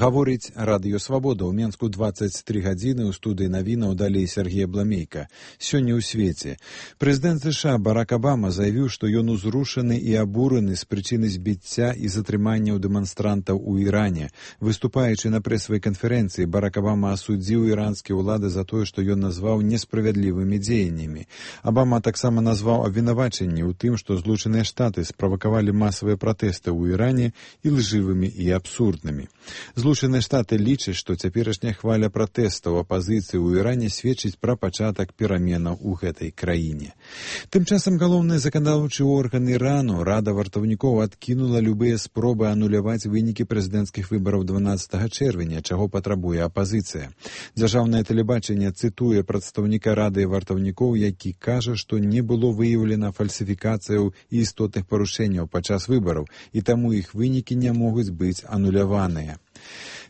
Гаворыць Радыё Свабода. У Менску 23 гадзіны, у студыі навінаў далей Сергей Бламейка. Сёння ў свеце. Прэзідэнт США Барак Абама заявіў, што ён узрушаны і абураны з прычыны збіцця і затрыманняў дэманстрантаў у Іране. Выступаючы на прэсавай канферэнцыі, Барак Абама асудзіў іранскія ўлады за тое, што ён назваў несправядлівымі дзеяннямі. Абама таксама назваў абвінавачанні ў тым, што Злучаныя Штаты справакавалі масавыя пратэсты ў Іране і лжывымі і абсурднымі. Злучаныя Штаты лічаць, што цяперашняя хваля пратэстаў апазіцыі ў Іране сведчыць пра пачатак пераменаў у гэтай краіне. Тым часам галоўны заканадаўчы орган Ірану, Рада вартаўнікоў, адкінула любыя спробы ануляваць вынікі прэзідэнцкіх выбараў 12 чэрвеня, чаго патрабуе апазіцыя. Дзяржаўнае тэлебачанне цытуе прадстаўніка Рады вартаўнікоў, які кажа, што не было выяўлена фальсіфікацыяў і істотных парушэнняў падчас выбараў, і таму іх вынікі не могуць быць ануляваныя.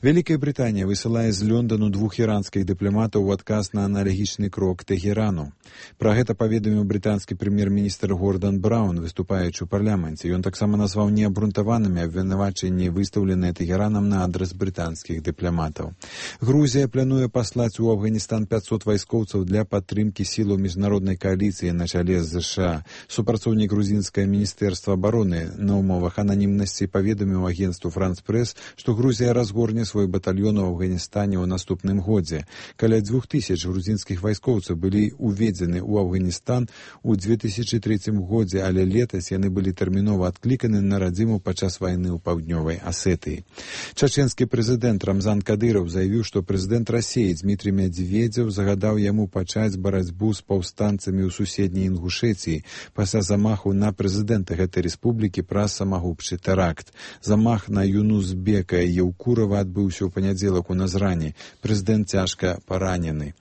Вялікая Брытанія высылае з Лондону 2 іранскіх дыпламатаў у адказ на аналагічны крок Тэхерану. Пра гэта паведаміў брытанскі прэм'ер-міністр Гордан Браўн, выступаючы ў парламенце. Ён таксама назваў неабрунтаванымі абвінавачанні, выстаўленыя Тэхеранам на адрас брытанскіх дыпламатаў. Грузія плануе паслаць у Афганістан 500 вайскоўцаў для падтрымкі сілаў міжнароднай кааліцыі на чале з США. Супрацоўнік грузінскае міністэрства абароны на умовах ананімнасці паведаміў агенцтву «Франс Прэс», што Грузія разгорне свой батальён у Афганістане ў наступным годзе. Каля 2000 грузінскіх вайскоўцаў былі уведзены ў Афганістан у 2003 годзе, але летась яны былі тэрмінова адкліканы на радзіму падчас вайны ў паўднёвай Асетыі. Чачэнскі прэзідэнт Рамзан Кадыраў заявіў, што прэзідэнт Расіі Дмітрий Медведзеў загадаў яму пачаць барацьбу з паўстанцамі ў суседняй Інгушэцыі пасля замаху на прэзідэнта гэтай рэспублікі праз самагубчы тэракт. Замах на Юнузбека Еўкурова адбыўся ў панядзелак у Назране. Прэзідэнт цяжка паранены.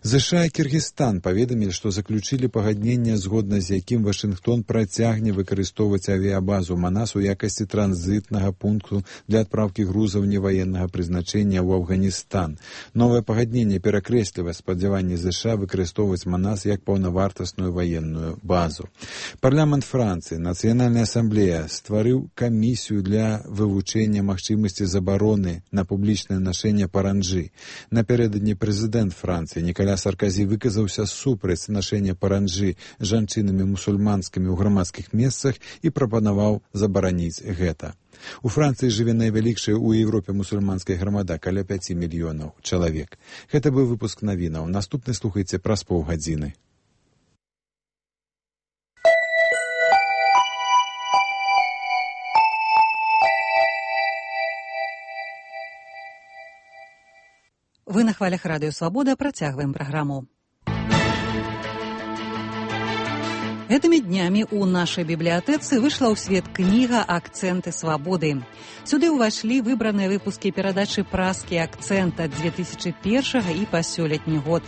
ЗША і Кіргізстан паведамілі, што заключылі пагадненне, згодна з якім Вашынгтон працягне выкарыстоўваць авіябазу Манас у якасці транзітнага пункту для адпраўкі грузаў неваеннага прызначэння ў Афганістан. Новае пагадненне перакрэсліва спадзяванні ЗША выкарыстоўваць Манас як паўнавартасную ваенную базу. Парламент Францыі, Нацыянальная асамблея, стварыў камісію для вывучэння магчымасці забароны на публічнае нашэнне паранджы. Напярэдадні прэзідэнт Францыі Ніколя Саркозі выказаўся супраць нашэння паранджы жанчынамі мусульманскімі ў грамадскіх месцах і прапанаваў забараніць гэта. У Францыі жыве найвялікшая ў Еўропе мусульманская грамада, каля 5 мільёнаў чалавек. Гэта быў выпуск навінаў. Наступны слухайце праз паўгадзіны. Вы на хвалях Радыё Свабода, працягваем праграму. Гэтымі днямі ў нашай бібліятэцы выйшла ў свет кніга «Акцэнты свабоды». Сюды ўвайшлі выбраныя выпускі перадачы «Празкі акцэнт» ад 2001 і па сёлетні год.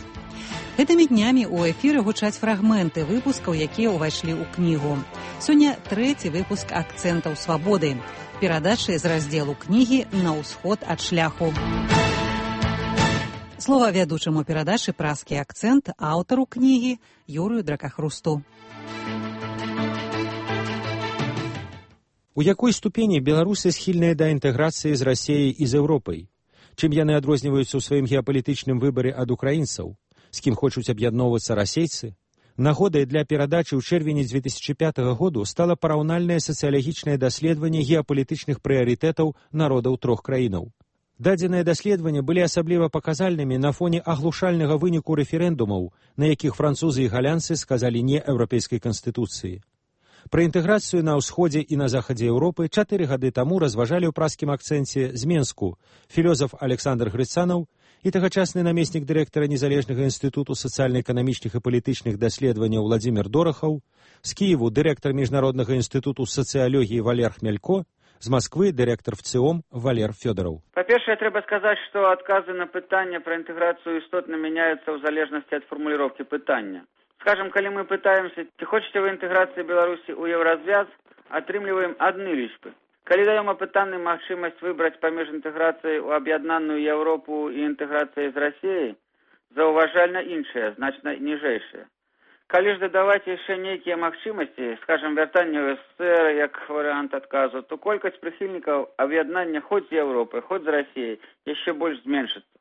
Гэтымі днямі ў эфіры гучаць фрагменты выпускаў, якія ўвайшлі ў кнігу. Сёння 3-й выпуск «Акцэнтаў свабоды». Перадачы з раздзелу кнігі «На ўсход ад шляху». Слова вядучаму перадачы «Празкі акцэнт» аўтару кнігі Юрыю Дракахрусту. У якой ступені беларусы схільныя да інтэграцыі з Расіяй і з Еўропай? Чым яны адрозніваюцца ў сваім геапалітычным выбары ад украінцаў? З кім хочуць аб'ядноўвацца расейцы? Нагодай для перадачы ў чэрвені 2005 году стала параўнальнае сацыялагічнае даследаванне геапалітычных прыярытэтаў народаў 3 краінаў. Дадзеныя даследаванні былі асабліва паказальнымі на фоне аглушальнага выніку рэферэндумаў, на якіх французы і галянцы сказалі не еўрапейскай канстытуцыі. Пра інтэграцыю на ўсходзе і на захадзе Еўропы 4 гады таму разважалі ў празкім акцэнце з Менску філёзаф Александр Грыцанаў і тагачасны намеснік дырэктара Незалежнага інстытуту сацыяльна-эканамічных і палітычных даследаванняў Владзімір Дорахаў, з Кіеву дырэктар Міжнароднага інстытуту сацыялогіі Валер Хмялько, з Москвы дырэктар ВЦИОМ Валер Фёдораў. Па-першае, трэба сказаць, што адказы на пытанне пра інтэграцыю істотна мяняюцца ў залежнасці ад фармуліроўкі пытання. Скажем, калі мы пытаемся, ці хочаце вы інтэграцыі Беларусі ў еўразвяз, атрымліваем адны лічбы. Калі даем апытаным магчымасць выбраць паміж інтэграцыяй у аб'яднаную Еўропу і інтэграцыяй з Расіяй, заўважальна іншыя, значна ніжэйшыя. Калі ж дадаваць яшчэ нейкія магчымасці, скажем, вяртанне ў СССР як варыянт адказу, то колькасць прыхільнікаў аб'яднання хоць з Еўропы, хоць з Расіяй яшчэ больш зменшыцца.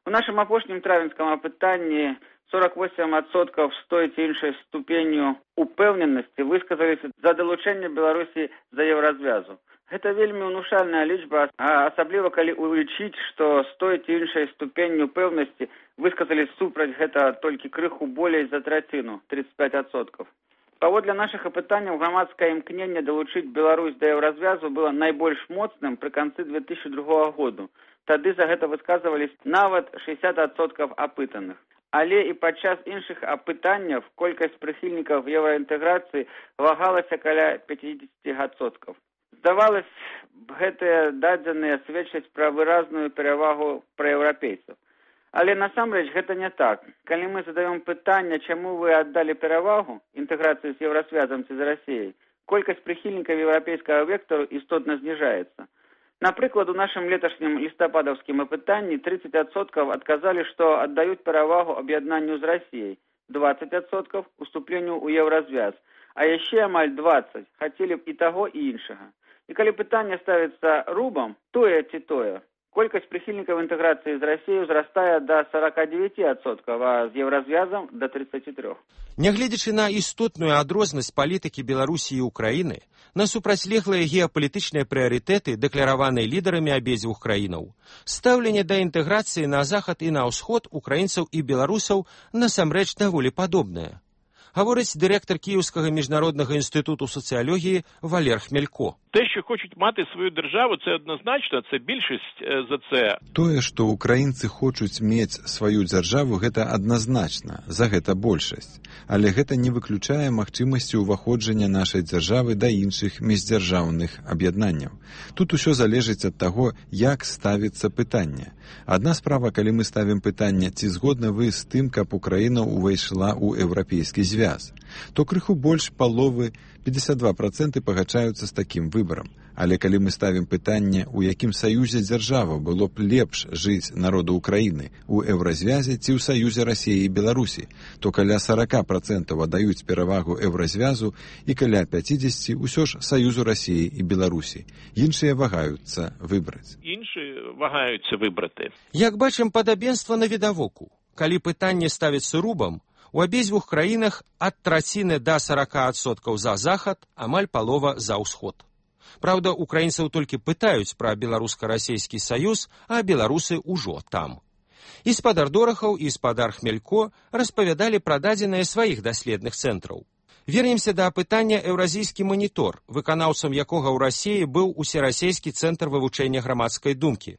У нашым апошнім травенскім апытанні 48% з той ці іншай ступенню упэўненасці высказаліся за далучэнне Беларусі да еўразвязу. Гэта вельмі ўнушальная лічба, асабліва калі улічыць, што з той ці іншай ступенню пэўнасці высказалі супраць гэта толькі крыху болей за траціну, 35%. Паводле нашых апытанняў грамадскае імкненне далучыць Беларусь да еўразвязу было найбольш моцным пры канцы 2002 году. Тады за гэта высказывались нават 60% апытаных. Але і падчас іншых апытанняў колькасць прыхільнікаў еўраінтэграцыі вагалася каля 50%. Здавалось, гэтыя дадзеныя сведчаць пра выразную перавагу праеўрапейцаў. Але насамрэч гэта не так. Калі мы задаем пытанне, чаму вы аддалі перавагу інтэграцыі з еўрасвязам ці з Расіяй, колькасць прыхільнікаў еўрапейскага вектару істотна зніжаецца. Напрыклад, у нашым леташнім лістападаўскім апытанні 30% адказалі, што аддаюць перавагу аб'яднанню з Расіяй, 20% уступленню ў еўразвяз, а яшчэ амаль 20% хацелі б і таго, і іншага. І калі пытанне ставіцца рубам, тое ці тое, колькасць прыхільнікаў інтэграцыі з Расіяй узрастае да 49%, а з еўразвязам да 33%. Нягледзячы на істотную адрознасць палітыкі Беларусі і Украіны, на супрацьлеглыя геапалітычныя прыярытэты, дэклараваныя лідарамі абедзвюх краінаў, стаўленне да інтэграцыі на захад і на ўсход украінцаў і беларусаў насамрэч даволі падобнае. Говорить директор Київського міжнародного інституту соціології Валер Хмелько. Те, що хочуть мати свою державу, це однозначно, це більшість за це. Тое, што украінцы хочуць мець сваю дзяржаву, гэта адназначна, за гэта большасць. Але гэта не выключае магчымасці ўваходжання нашай дзяржавы да іншых міждзяржаўных аб'яднанняў. Тут усё залежыць ад таго, як ставіцца пытанне. Адна справа, калі мы ставім пытанне, ці згодны вы з тым, каб Украіна ўвайшла ў еўрапейскі звяз, то крыху больш паловы, 52% пагачаюцца з такім выбарам. Але калі мы ставім пытанне, у якім саюзе дзяржава было б лепш жыць народу Украіны, у еўразвязе ці ў саюзе Расіі і Беларусі, то каля 40% аддаюць перавагу еўразвязу і каля 50% ўсё ж саюзу Расіі і Беларусі. Іншыя вагаюцца выбраць. Як бачым, падабенства навідавоку. Калі пытанне ставіцца рубам, у абедзвюх краінах ад траціны да 40% за захад, амаль палова за ўсход. Праўда, украінцаў толькі пытаюць пра беларуска-расейскі саюз, а беларусы ўжо там. І спадар Дорахаў, і спадар Хмелько распавядалі пра дадзеныя сваіх даследных цэнтраў. Вернемся да апытання «Еўразійскі манітор», выканаўцам якога ў Расіі быў усерасійскі цэнтр вывучэння грамадскай думкі.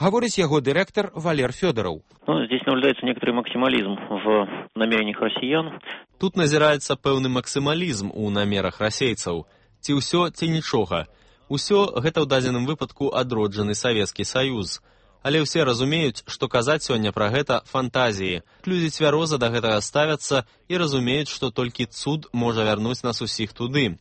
Говорит его директор Валер Федоров. Здесь наблюдается некоторый максимализм в намерениях россиян. Тут назираецца пэўны максимализм у намерах расейцаў. Ці ўсё, ці нічога. Усё гэта ў дадзеным выпадку адроджаны Савецкі Саюз. Але ўсе разумеюць, што казаць сёння пра гэта фантазіі. Людзі цвяроза да гэтага ставяцца і разумеюць, што толькі цуд можа вярнуць нас усіх туды.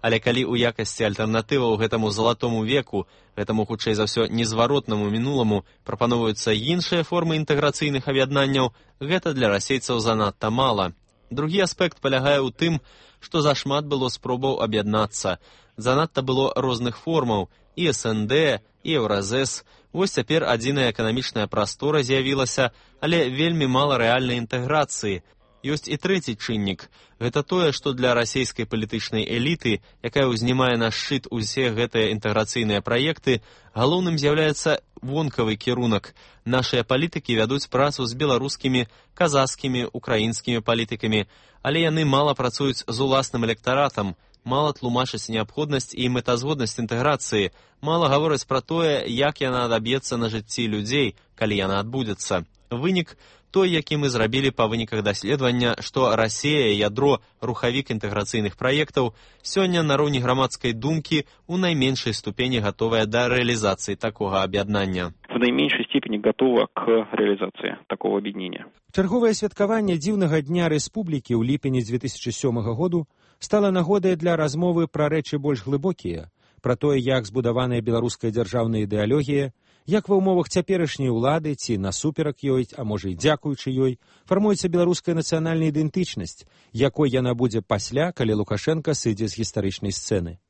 Але калі ў якасці альтэрнатываў гэтаму залатому веку, гэтаму, хутчэй за ўсё, незваротнаму мінуламу прапаноўваюцца іншыя формы інтэграцыйных аб'яднанняў, гэта для расейцаў занадта мала. Другі аспект палягае ў тым, што зашмат было спробаў аб'яднацца. Занадта было розных формаў, і СНД, і Еўразэс. Вось цяпер адзіная эканамічная прастора з'явілася, але вельмі мала рэальнай інтэграцыі. Ёсць і трэці чыннік. Гэта тое, што для расійскай палітычнай эліты, якая ўзнімае на шчыт усе гэтыя інтэграцыйныя праекты, галоўным з'яўляецца вонкавы кірунак. Нашыя палітыкі вядуць працу з беларускімі, казахскімі, украінскімі палітыкамі, але яны мала працуюць з уласным электаратам, мала тлумачаць неабходнасць і мэтазгоднасць інтэграцыі, мала гавораць пра тое, як яна адаб'ецца на жыцці людзей, калі яна адбудзецца. Вынік той, які мы зрабілі па выніках даследавання, што Расія, ядро, рухавік інтэграцыйных праектаў, сёння на роўні грамадскай думкі ў найменшай ступені гатовая да рэалізацыі такога аб'яднання. В найменшай степені готова к реализации такого объединения. Чарговае святкаванне дзіўнага дня рэспублікі ў ліпені 2007 году стала нагодай для размовы пра рэчы больш глыбокія, пра тое, як збудаваная беларуская дзяржаўная ідэалогія, Як ва ўмовах цяперашняй улады ці насуперак ёй, а можа і дзякуючы ёй, фармуецца беларуская нацыянальная ідэнтычнасць, якой яна будзе пасля, калі Лукашенка сыдзе з гістарычнай сцэны.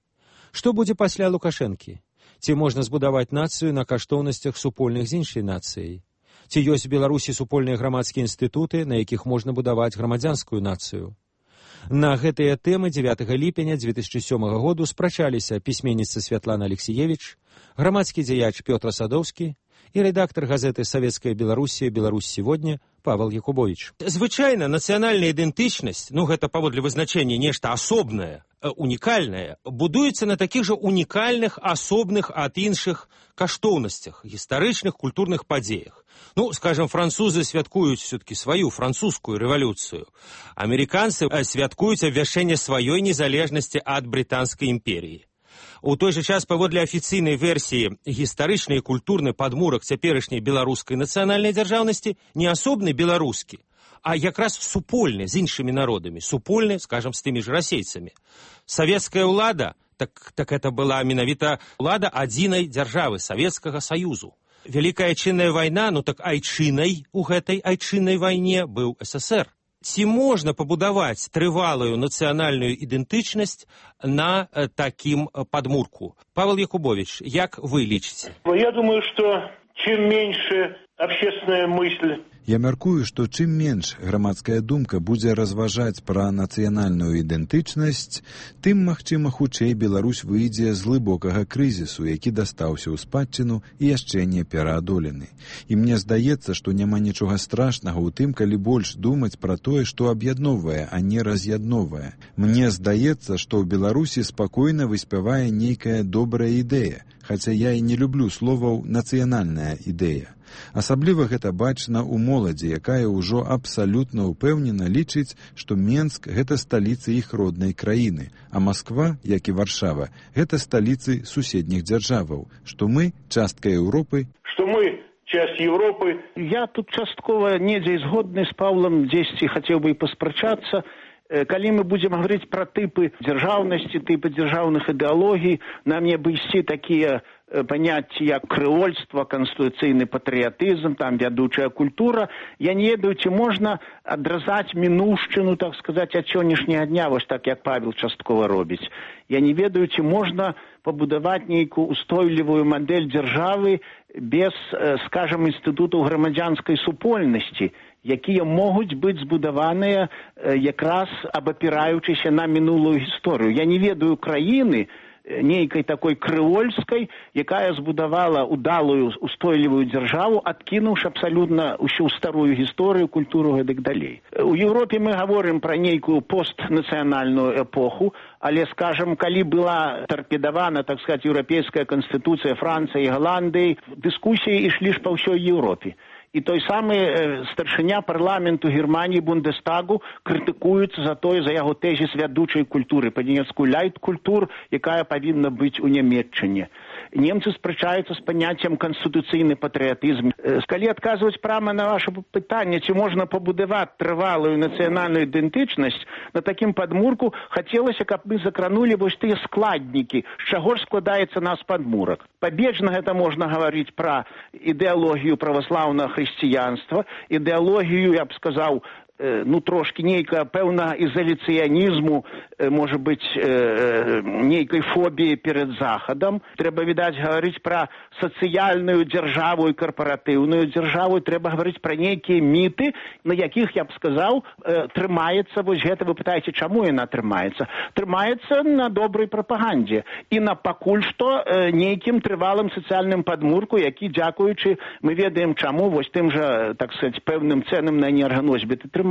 Што будзе пасля Лукашэнкі? Ці можна збудаваць нацыю на каштоўнасцях супольных з іншай нацыяй? Ці ёсць у Беларусі супольныя грамадскія інстытуты, на якіх можна будаваць грамадзянскую нацыю? На гэтыя тэмы 9 ліпеня 2007 году спрачаліся пісьменніца Святлана Алексіевіч, грамадскі дзеяч Пётр Садоўскі і рэдактар газеты «Савецкая Беларуссия. Беларусь сегодня» Павел Якубович. Звычайна нацыянальная ідэнтычнасць, гэта паводле вызначэння нешта асобнае, унікальнае, будуецца на такіх жа унікальных, асобных ад іншых каштоўнасцях, гістарычных, культурных падзеях. Скажем, французы святкуюць все-таки сваю французскую рэвалюцыю. Амерыканцы святкуюць абвяшчэнне сваёй незалежнасці ад брытанскай імперіі. У той жа час, паводле афіцыйнай версіі, гістарычны і культурны падмурак цяперашняй беларускай нацыянальнай дзяржаўнасці не асобны беларускі, а якраз супольны з іншымі народамі, супольны, скажем, з тымі ж расейцамі. Савецкая ўлада, так это была менавіта ўлада адзінай дзяржавы, Савецкага Саюзу. Вялікая айчынная вайна, так айчынай у гэтай айчыннай вайне быў СССР. Ці можна пабудаваць трывалую нацыянальную ідэнтычнасць на такім падмурку? Павел Якубович, як вы лічыце? Я думаю, что чем меньше общественная мысль. Я мяркую, што чым менш грамадская думка будзе разважаць пра нацыянальную ідэнтычнасць, тым, магчыма, хутчэй Беларусь выйдзе з глыбокага крызісу, які дастаўся ў спадчыну і яшчэ не пераадолены. І мне здаецца, што няма нічога страшнага ў тым, калі больш думаць пра тое, што аб'ядноўвае, а не раз'ядноўвае. Мне здаецца, што ў Беларусі спакойна выспявае нейкая добрая ідэя, хаця я і не люблю словаў «нацыянальная ідэя». Асабліва гэта бачна ў моладзі, якая ўжо абсалютна ўпэўнена лічыць, што Менск – гэта сталіца іх роднай краіны, а Масква, як і Варшава, гэта сталіцы суседніх дзяржаваў, што мы – частка Еўропы. Што мы – часть Европы. Я тут часткова недзе згодны з Павлам, дзесьці хацеў бы і паспрачацца. Калі мы будзем гаварыць пра тыпы дзяржаўнасці, тыпы дзяржаўных ідэалогій, нам не бы ісці такія паняцці як крэольства, канстытуцыйны патрыятызм, там вядучая культура. Я не ведаю, ці можна адразаць мінуўшчыну, так сказаць, ад сённяшняга дня, вось так, як Павел часткова робіць. Я не ведаю, ці можна пабудаваць нейкую устойлівую мадэль дзяржавы без, скажам, інстытутаў грамадзянскай супольнасці, якія могуць быць збудаваныя якраз абапіраючыся на мінулую гісторыю. Я не ведаю краіны, нейкай такой крэольскай, якая збудавала удалую устойлівую дзяржаву, адкінуўшы абсалютна ўсю старую гісторыю, культуру і так далей. У Еўропе мы гаворым пра нейкую постнацыянальную эпоху, але, скажам, калі была тарпедавана, так сказаць, еўрапейская канстытуцыя Францыі і Галандыі, дыскусіі ішлі ж па ўсёй Еўропе. І той самы старшыня парламенту Германії Бундестагу крытыкуецца за яго тэзіс вядучай культуры, па-нямецку ляйт-культур, якая павінна быць у Нямецчыне. Немцы спрачаюцца з паняццем канстытуцыйны патрыятызм. Калі адказваць прама на ваше пытанне, ці можна пабудаваць трывалую нацыянальную ідэнтычнасць, на такім падмурку хацелася, каб мы закранулі вось тыя складнікі, з чаго ж складаецца наш падмурак. Пабежна гэта можна гаварыць пра ідэалогію праваслаўнага хрысціянства, ідэалогію, я б сказаў, трошки нейкая пэўна ізаляцыянізму, можа быць, нейкай фобіі перад Захадам. Трэба, відаць, гаварыць пра сацыяльную дзяржаву і карпаратыўную дзяржаву. Трэба гаварыць пра нейкія міты, на якіх, я б сказаў, трымаецца, вось гэта вы пытаеце, чаму яна трымаецца? Трымаецца на добрай прапагандзе і на пакуль што нейкім трывалым сацыяльным падмурку, які, дзякуючы, мы ведаем чаму, вось тым жа, так сказаць, пэўным цэнам на энерганосьбіты трымаецца.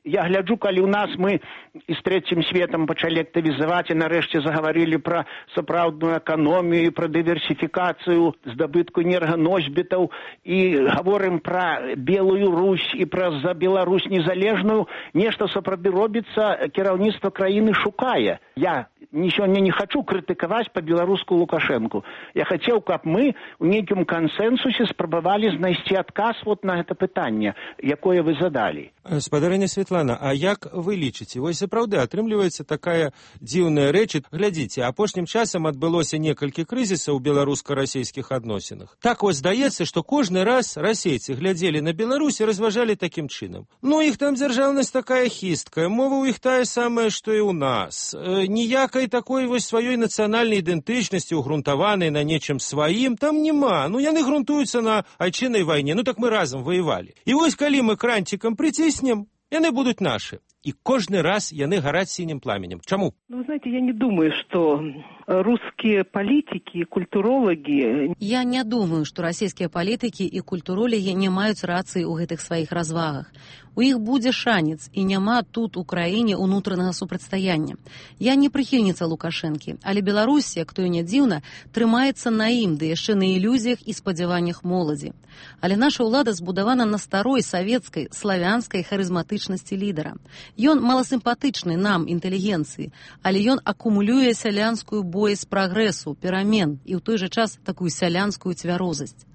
Я гляджу, калі ў нас мы і з трэцім светам пачалі актывізаваць і нарэшце загаварылі пра сапраўдную эканомію, пра дыверсіфікацыю здабытку энерганосьбітаў і гаворым пра Белую Русь і пра за Беларусь незалежную, нешта сапраўды робіцца, кіраўніцтва краіны шукае. Я сёння не хочу крытыкаваць па-беларуску Лукашэнку. Я хацеў, каб мы ў нейкім кансэнсусе спрабавалі знайсці адказ вот на гэта пытанне, якое вы задалі. Спадарыня Светлана, а як вы лічыце? Вось сапраўды атрымліваецца такая дзіўная рэч. Глядзіце, апошнім часам адбылося некалькі крызісаў у беларуска-расейскіх адносінах. Так вось здаецца, што кожны раз расейцы глядзелі на Беларусь і разважалі такім чынам. Ну, іх там дзяржаўнасць такая хісткая, мова ў іх тая самая, што і ў нас. Ніякай такой вось сваёй нацыянальнай ідэнтычнасці, угрунтаванай на нечым сваім, там няма. Ну, яны грунтуюцца на айчыннай вайне, ну так мы разам воевалі. І вось калі мы кранцікам прыціснем, яны будуць нашы. И каждый раз яны горят синим пламенем. Чему? Ну, вы знаете, я не думаю, что русские политики, культурологи... Я не думаю, что российские политики и культурологи не маюць рацыі ў гэтых сваіх развагах. У іх будзе шанец, і няма тут у краіне ўнутранага супрацьстаяння. Я не прыхільніца Лукашэнкі, але Беларусь, як то і не дзіўна, трымаецца на ім, ды яшчэ на ілюзіях і спадзяваннях моладзі. Але наша ўлада збудавана на старой савецкай, славянскай харызматычнасці лідара. Ён маласімпатычны нам, інтэлігенцыі, але ён акумулюе сялянскую боязь прагрэсу, перамен і ў той жа час такую сялянскую цвярозасць.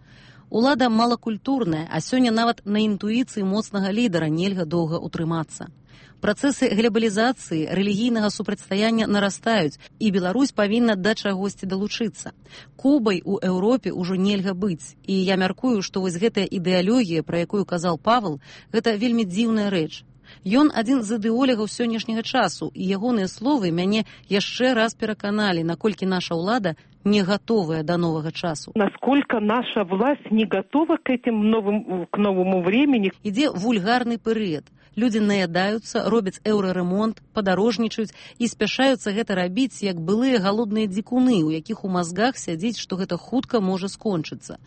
Улада малакультурная, а сёння нават на інтуіцыі моцнага лідара нельга доўга ўтрымацца. Працэсы глобалізацыі, рэлігійнага супрацьстаяння нарастаюць, і Беларусь павінна да чагосьці далучыцца. Кубай у Еўропе ўжо нельга быць, і я мяркую, што вось гэтая ідэалогія, пра якую казаў Павел, гэта вельмі дзіўная рэч. Ён адзін з ідэолегаў сённяшняга часу, і ягоныя словы мяне яшчэ раз пераканалі, наколькі наша ўлада не готовая до нового часу. Насколько наша власть не готова к новому времени. Ідзе вульгарны перыяд. Людзі наядаюцца, робяць еўраремонт, падарожнічаюць і спяшаюцца гэта рабіць, як былыя галодныя дзікуны, у якіх у мазгах сядзіць, што гэта хутка можа скончыцца.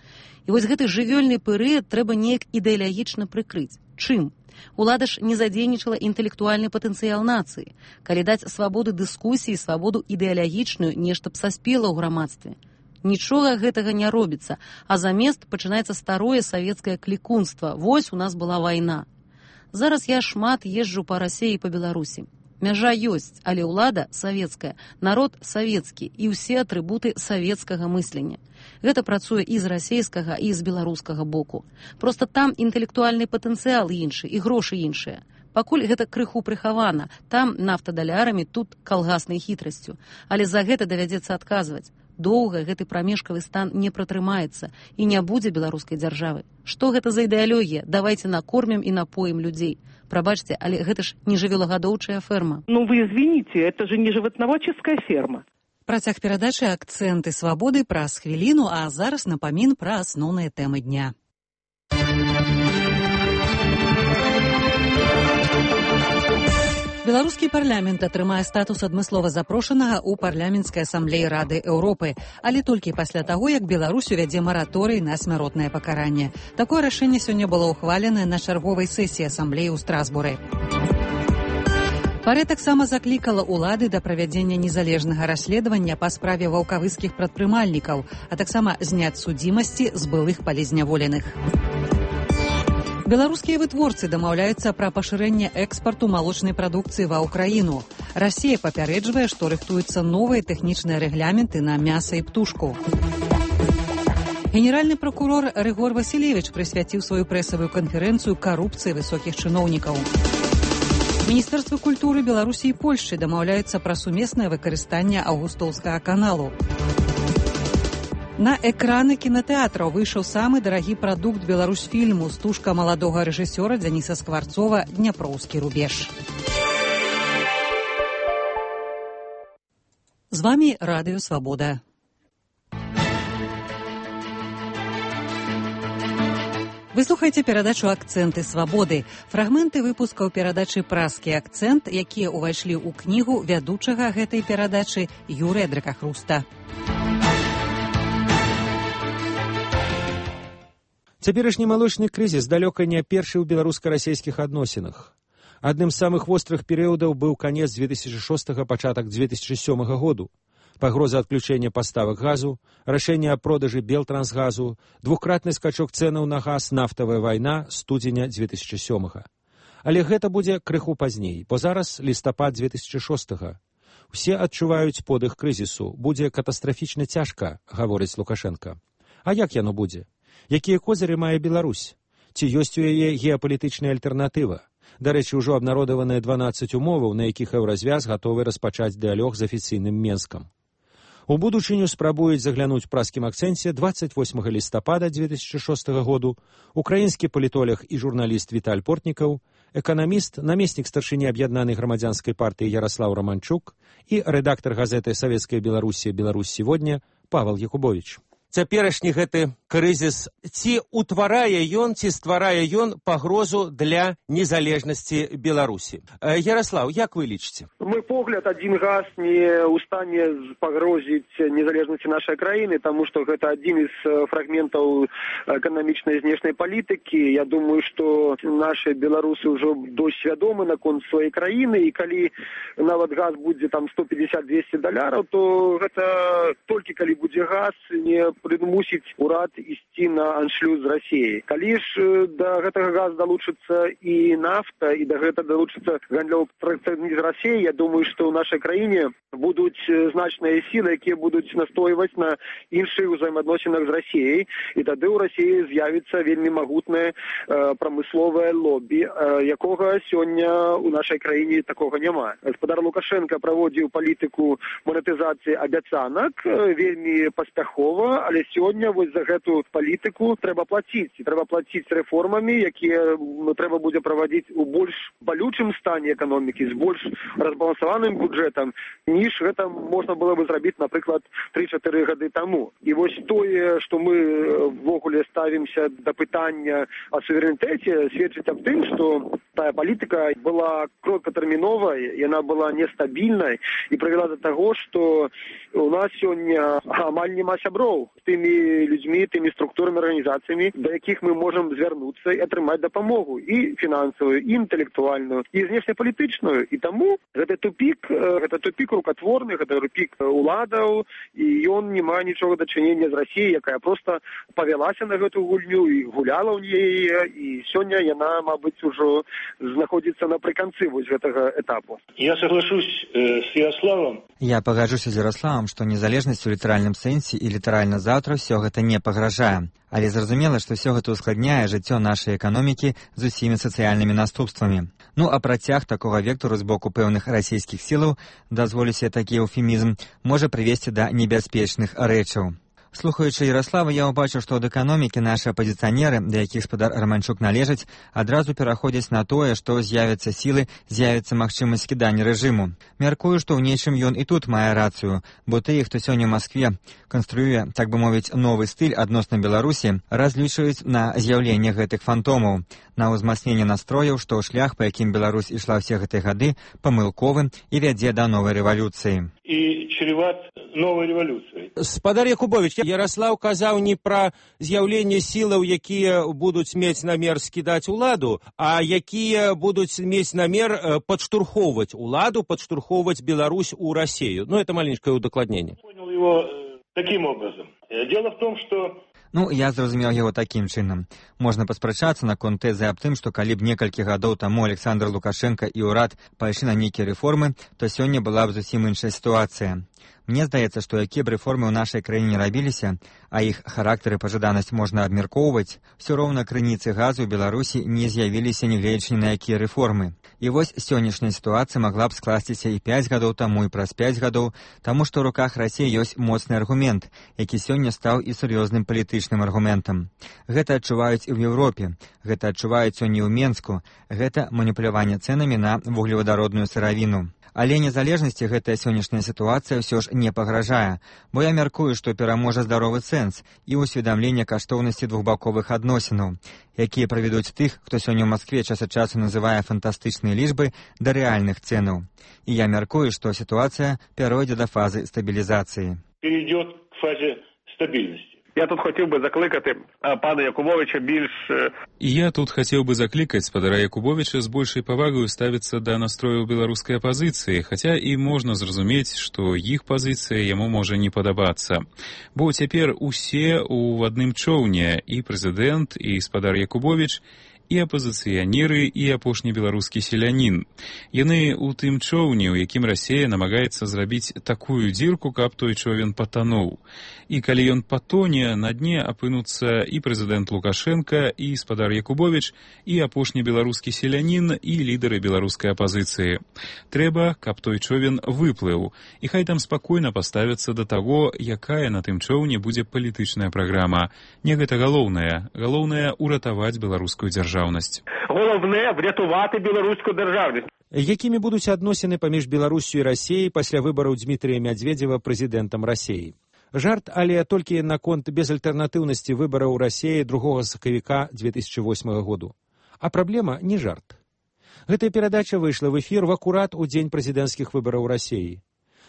І вось гэты жывёльны перыяд трэба неяк ідэалагічна прыкрыць. Чым? Улада ж не задзейнічала інтэлектуальны патэнцыял нацыі. Калі даць свабоду дыскусіі, свабоду ідэалагічную, нешта б саспела ў грамадстве. Нічога гэтага не робіцца, а замест пачынаецца старое савецкае клікунства. Вось у нас была вайна. Зараз я шмат езджу па Расіі і па Беларусі. Мяжа ёсць, але ўлада савецкая, народ савецкі і ўсе атрыбуты савецкага мыслення. Гэта працуе і з расейскага, і з беларускага боку. Проста там інтэлектуальны патэнцыял іншы, і грошы іншыя. Пакуль гэта крыху прыхавана, там нафтадалярамі, тут калгаснай хітрасцю. Але за гэта давядзецца адказваць. Доўга гэты прамежкавы стан не пратрымаецца і не будзе беларускай дзяржавы. Што гэта за ідэалогія? Давайце накормім і напоім людзей. Прабачце, але гэта ж не жывёлагадоўчая ферма. Ну вы извините, это же не животноводческая ферма. Працяг перадачы «Акценты свабоды» праз хвіліну, а зараз напамін пра асноўныя тэмы дня. Беларускі парламент атрымае статус адмыслова запрошанага ў парламенцкай асамблеі Рады Еўропы, але толькі пасля таго, як Беларусь увядзе мараторый на смяротнае пакаранне. Такое рашэнне сёння было ўхваленае на чарговай сесіі асамблеі ў Страсбуры. Парэ таксама заклікала ўлады да правядзення незалежнага расследавання па справе ваўкавыскіх прадпрымальнікаў, а таксама зняць судзімасці з былых палізняволеных. Беларускія вытворцы дамаўляюцца пра пашырэнне экспарту малочнай прадукцыі ва ўкраіну. Расія папярэджвае, што рыхтуюцца новыя тэхнічныя рэгляменты на мяса і птушку. Генеральны пракурор Рыгор Васілевіч прысвяціў сваю прэсавую канферэнцыю карупцыі высокіх чыноўнікаў. Міністэрствы культуры Беларусі і Польшчы дамаўляюцца пра сумеснае выкарыстанне Аўгустоўскага каналу. На экраны кінатэатраў выйшаў самы дарагі прадукт беларусфільму стужка маладога рэжысёра Дзяніса Скварцова «Дняпроўскі рубеж». З вами Радыё Свабода. Вы слухаеце перадачу «Акценты свабоды». Фрагменты выпускаў перадачы «Праскі акцэнт», якія ўвайшлі ў кнігу вядучага гэтай перадачы Юрыя Дракахруста. Цяперашні малочны крызіс далёка не першы ў беларуска-расейскіх адносінах. Адным з самых вострых перыядаў быў канец 2006 пачатак 2007 году. Пагроза адключэння паставак газу, рашэнне аб продажы Белтрансгазу, двухкратны скачок цэнаў на газ, нафтавая вайна студзеня 2007. Але гэта будзе крыху пазней, бо зараз лістапад 2006. Усе адчуваюць подых крызісу. Будзе катастрафічна цяжка, гаворыць Лукашенко. А як яно будзе? Якія козыры мае Беларусь? Ці ёсць у яе геапалітычная альтэрнатыва? Дарэчы, ужо абнародаваныя 12 умоваў, на якіх Еўразвяз гатовы распачаць дыялог з афіцыйным Менскам. У будучыню спрабуюць заглянуць праскім акцэнце 28 лістапада 2006 году украінскі палітолог і журналіст Віталь Портнікаў, эканаміст, намеснік старшыні аб'яднанай грамадзянскай партыі Яраслаў Романчук і рэдактар газеты «Савецкая Беларусі» «Беларусь сегодня» Павел Якубович. Цяперашні гэты крызіс, ці ўтварае ён, ці стварае ён пагрозу для незалежнасці Беларусі? Ярослав, як вы лічыце? Мой погляд, один газ не ў стане пагрозіць незалежнасці нашай краіны, таму што гэта адзін з фрагментаў эканамічнай знешняй палітыкі. Я думаю, што нашы беларусы ўжо досць свядомы наконт сваёй краіны, і калі нават газ будзе там $150-200, то гэта толькі калі будзе газ, не прымусіць урад ісці на аншлюз з Расіяй. Калі ж да гэтага газа далучыцца і нафта, і да гэта далучыцца гандлёвы пратэкцыянізм з Расіяй, я думаю, што ў нашай краіне будуць значныя сілы, якія будуць настойваць на іншых узаемаадносінах з Расіяй, і тады ў Расіі з'явіцца вельмі магутнае прамысловае лобі, якога сёння ў нашай краіне такога няма. Гаспадар Лукашенко праводзіў палітыку манетызацыі абяцанак вельмі паспяхова, але сёння вось за гэту палітыку трэба плаціць. І трэба плаціць рэформамі, якія трэба будзе правадзіць у больш балючым стане эканомікі, з больш разбалансаваным бюджэтам, ніж гэта можна было бы зрабіць, напрыклад, 3-4 гады таму. І вось тое, што мы ввогуле ставімся да пытання о суверэнітэце, сведчыць аб тым, што тая палітыка была короткатэрміновай, яна была нестабільнай і прывяла да таго, што у нас сёння амаль няма сяброў тымі людзьмі, тымі структурнымі арганізацыямі, да якіх мы можам звярнуцца і атрымаць дапамогу і фінансавую, і інтэлектуальную, і знешнепалітычную. І таму гэта тупік рукатворны, гэта тупік уладаў, і ён не мае нічога дачынення з Расіяй, якая проста павялася на гэту гульню і гуляла ў яе, і сёння яна, мабыць, ужо знаходзіцца напрыканцы вось гэтага этапу. Я соглашусь с Ярославом. Я пагаджуся з Ярославом, што незалежнасць у літаральным сэнсе і літаральна заўтра ўсё гэта не пагражае. Але зразумела, што ўсё гэта ускладняе жыццё нашай эканомікі з усімі сацыяльнымі наступствамі. Ну, а працяг такога вектару з боку пэўных расійскіх сілаў, дазволюся такі эўфемізм, можа прывесці да небяспечных рэчаў. Слухаючы Ярослава, я ўбачыў, што ад эканомікі нашы апазіцыянеры, да якіх спадар Романчук належыць, адразу пераходзяць на тое, што з'явяцца сілы, з'явіцца магчымасць скідання рэжыму. Мяркую, што ў нечым ён і тут мае рацыю, бо тыя, хто сёння ў Маскве канструюе, так бы мовіць, новы стыль адносна Беларусі, разлічваюць на з'яўленне гэтых фантомаў, на ўзмацненне настрояў, што шлях, па якім Беларусь ішла ўсе гэтыя гады, памылковы і вядзе да новай рэвалюцыі. І чреват новай рэвалюцыі. Спадар Якубович, Ярослав казаў не пра з'яўленне сілаў, якія будуць мець намер скідаць уладу, а якія будуць мець намер падштурхоўваць уладу, падштурхоўваць Беларусь у Расію. Ну, это маленькое удакладненне. Понял его таким образом. Дело в том, что Ну, я зразумеў яго такім чынам. Можна паспрачацца наконт тэзы аб тым, што калі б некалькі гадоў таму Александр Лукашенко і ўрад пайшлі на нейкія рэформы, то сёння была б зусім іншая сітуацыя. Мне здаецца, што якія б рэформы ў нашай краіне рабіліся, а іх характар і пажаданасць можна абмяркоўваць, усё роўна крыніцы газу ў Беларусі не з'явіліся, нягледзячы на якія рэформы. І вось сённяшняя сітуацыя магла б скласціся і 5 гадоў таму, і праз 5 гадоў, таму што ў руках Расіі ёсць моцны аргумент, які сёння стаў і сур'ёзным палітычным аргументам. Гэта адчуваюць і ў Еўропе, гэта адчуваюць сёння ў Менску, гэта маніпуляванне цэнамі на вуглевадародную сыравіну. Але незалежнасці гэтая сённяшняя сітуацыя ўсё ж не пагражае, бо я мяркую, што пераможа здаровы сэнс і ўсведамленне каштоўнасці двухбаковых адносінаў, якія правядуць тых, хто сёння ў Маскве час ад часу называе фантастычныя лічбы, да рэальных цэнаў. І я мяркую, што сітуацыя пяройдзе да фазы стабілізацыі. Перейдет к фазе стабільнасці. Я тут хотів би закликати пана Якубовича більш... Я тут хотел бы закликать спадара Якубовича с большей повагой ставиться до настроя белорусской оппозиции, хотя и можно зразумець, что их позиция ему можа не падабацца. Бо цяпер усе у адным чоўне, и президент, и спадар Якубович, і апазіцыянеры, і апошні беларускі селянін. Яны ў тым човне, у якім Расія намагаецца зрабіць такую дзірку, каб той човен патануў. І калі ён патоне, на дне апынуцца і прэзідэнт Лукашенка, і спадар Якубовіч, і апошні беларускі селянін, і лідары беларускай апазіцыі. Трэба, каб той човен выплыў, і хай там спакойна паставяцца да таго, якая на тым човне будзе палітычная праграма. Не гэта галоўнае. Галоўнае ўратаваць беларускую дзяржаўнасць. Галоўнае врятаваць беларускую дзяржаўнасць. Якімі будуць адносіны паміж Беларуссю і Расіяй пасля выбараў Дмітрія Мядзведзева прэзідэнтам Расіі? Жарт, але толькі наконт безальтэрнатыўнасці выбараў Расіі 2 сакавіка 2008 году. А праблема не жарт. Гэтая перадача выйшла в эфір в акурат у дзень прэзідэнцкіх выбараў Расіі.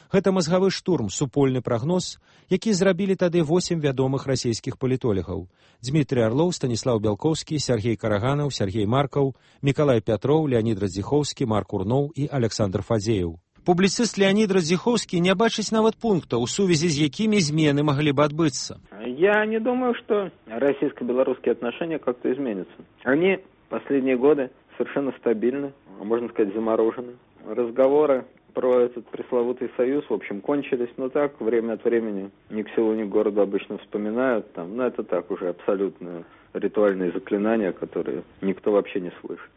Гэта мазгавы штурм, супольны прагноз, які зрабілі тады 8 вядомых расійскіх палітолагаў. Дмітрий Орлов, Станіслав Бялкоўскі, Сергей Караганаў, Сергей Маркаў, Мікалай Пятроў, Леонид Радзіхоўскі, Марк Урноў і Александр Фадзеев. Публіцыст Леонид Радзіхоўскі не бачыць нават пункта, у сувязі з якімі змены маглі бы адбыцца. Я не думаю, что российско-белорусские отношения как-то изменятся. Они последние годы совершенно стабильны, можно сказать, заморожены. Разговоры про этот пресловутый союз, в общем, кончились, но так, время от времени, ни к селу, ни к городу обычно вспоминают, там, но это так уже абсолютно ритуальные заклинания, которые никто вообще не слышит.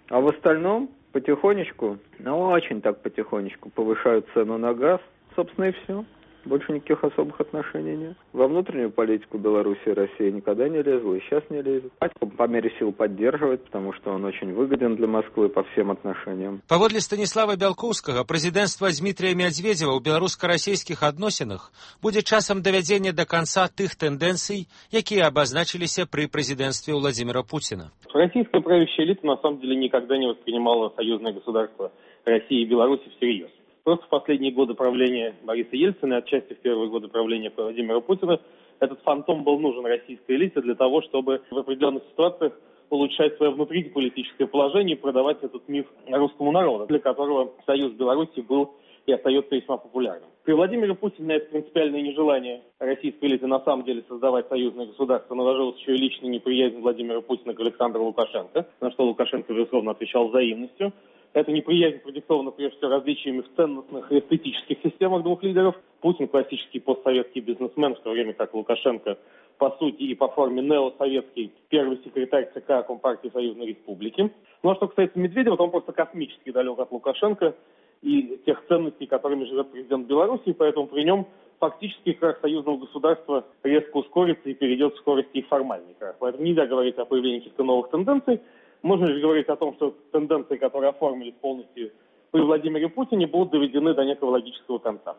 А в остальном, потихонечку, ну очень так потихонечку повышают цену на газ, собственно и все. Больше никаких особых отношений нет. Во внутреннюю политику Беларуси и России никогда не лезла и сейчас не лезет. По мере сил поддерживает, потому что он очень выгоден для Москвы по всем отношениям. Паводле Станіслава Бялкоўскага, прэзідэнцтва Дмітрия Мядзведзева ў беларуска-расійскіх адносінах будзе часам давядзення да канца тых тэндэнцый, якія абазначыліся пры прэзідэнцтве Владимира Путина. Российская правящая элита на самом деле никогда не воспринимала союзное государство России и Беларуси всерьез. Просто в последние годы правления Бориса Ельцина и отчасти в первые годы правления Владимира Путина этот фантом был нужен российской элите для того, чтобы в определенных ситуациях улучшать свое внутриполитическое положение и продавать этот миф русскому народу, для которого союз Беларуси был и остается весьма популярным. При Владимире Путине это принципиальное нежелание российской элиты на самом деле создавать союзное государство наложилось еще и личная неприязнь Владимира Путина к Александру Лукашенко, на что Лукашенко, безусловно, отвечал взаимностью. Эта неприязнь продиктована прежде всего различиями в ценностных и эстетических системах двух лидеров. Путин классический постсоветский бизнесмен, в то время как Лукашенко по сути и по форме неосоветский первый секретарь ЦК Компартии Союзной Республики. Ну а что касается Медведева, то он просто космически далек от Лукашенко и тех ценностей, которыми живет президент Беларуси, поэтому при нем фактически крах союзного государства резко ускорится и перейдет в скорости и формальный крах. Поэтому нельзя говорить о появлении каких-то новых тенденций. Можно лишь говорить о том, что тенденции, которые оформились полностью при Владимире Путине, будут доведены до некого логического конца.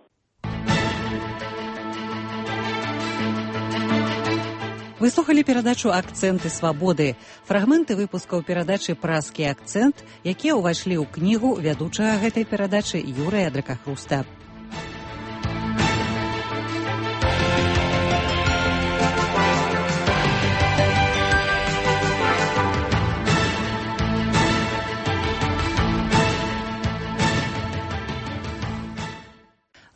Вы слухали перадачу «Акценты свабоды». Фрагменты выпускаў перадачы «Праскі акцент», якія ўвайшлі ў кнігу вядучага гэтай перадачы Юрыя Дракахруста.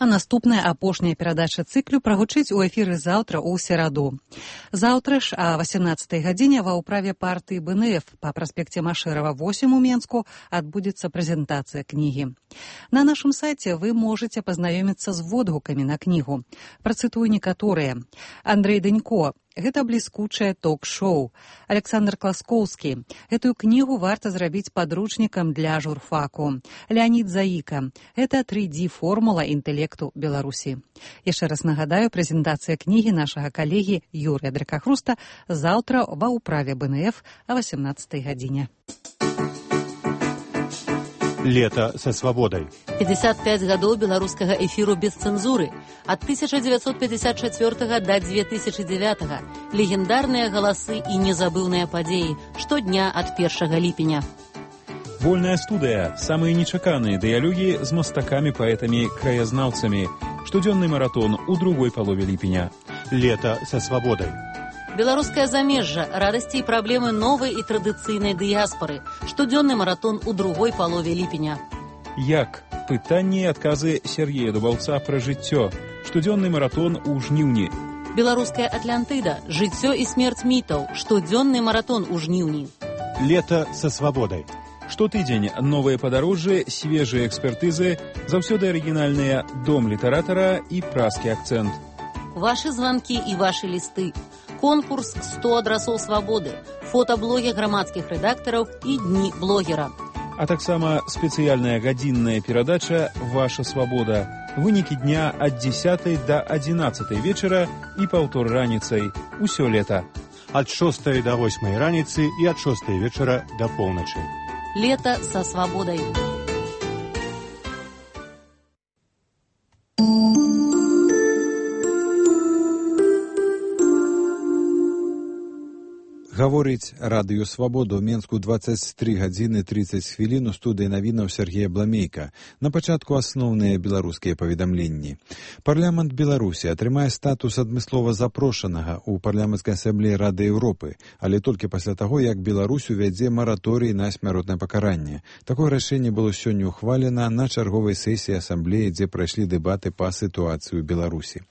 А наступная апошняя перадача цыклю прагучыць у эфіры заўтра ў сераду. Заўтра ж о 18 гадзіне ва ўправе партыі БНФ па праспекце Машэрава 8 у Менску адбудзецца прэзентацыя кнігі. На нашым сайце вы можаце пазнаёміцца з водгукамі на кнігу. Працытую некаторыя. Андрэй Данько. Гэта бліскучае ток-шоу. Александр Класкоўскі. Гэтую кнігу варта зрабіць падручнікам для журфаку. Леонид Заіка. Гэта 3D-формула інтэлекту Беларусі. Яшчэ раз нагадаю, прэзентацыя кнігі нашага калегі Юрыя Дракахруста заўтра ва ўправе БНФ о 18 гадзіне. Лето со свободой. 55 гадоў беларускага эфіру без цэнзуры. Ад 1954 до 2009. Легендарныя галасы і незабыўныя падзеі. Штодня ад 1 ліпеня. Вольная студыя. Самыя нечаканыя дыялогі з мастакамі, паэтамі, краязнаўцамі. Штодзённы маратон у другой палове ліпеня. Лето со свободой. Беларускае замежжа, радасці і праблемы новай і традыцыйнай дыяспары. Штодзённы маратон у другой палове ліпеня. Як? Пытанні і адказы Сергея Дубаўца пра жыццё. Штодзённы маратон у жніўні. Беларуская Атлантыда. Жыццё і смерць мітаў. Штодзённы маратон у жніўні. Лето со свободой. Штотыдзень новыя падарожжы, свежыя экспертызы, заўсёды арыгінальныя дом літаратара і праскі акцэнт. Ваши звонки и ваши листы. Конкурс «100 адрасоў свободы», фотоблоги грамадскіх рэдактараў і дні блогера. А таксама спецыяльная гадзінная перадача «Ваша свобода». Вынікі дня ад 10 до 11 вечара і паўтор раніцай. Усё лета. От 6 до 8 раніцы и от 6 вечера до полночи. Лето со свободой. Гаворыць радыё «Свабода» ў Менску 23 гадзіны 30 хвілін у студыі навінаў Сергея Бламейка. На пачатку асноўныя беларускія паведамленні. Парламент Беларусі атрымае статус адмыслова запрошанага ў парламенцкай асамблеі Рады Еўропы, але толькі пасля таго, як Беларусь увядзе мараторый на смяротнае пакаранне. Такое рашэнне было сёння ўхвалена на чарговай сесіі асамблеі, дзе прайшлі дэбаты па сітуацыі ў Беларусі.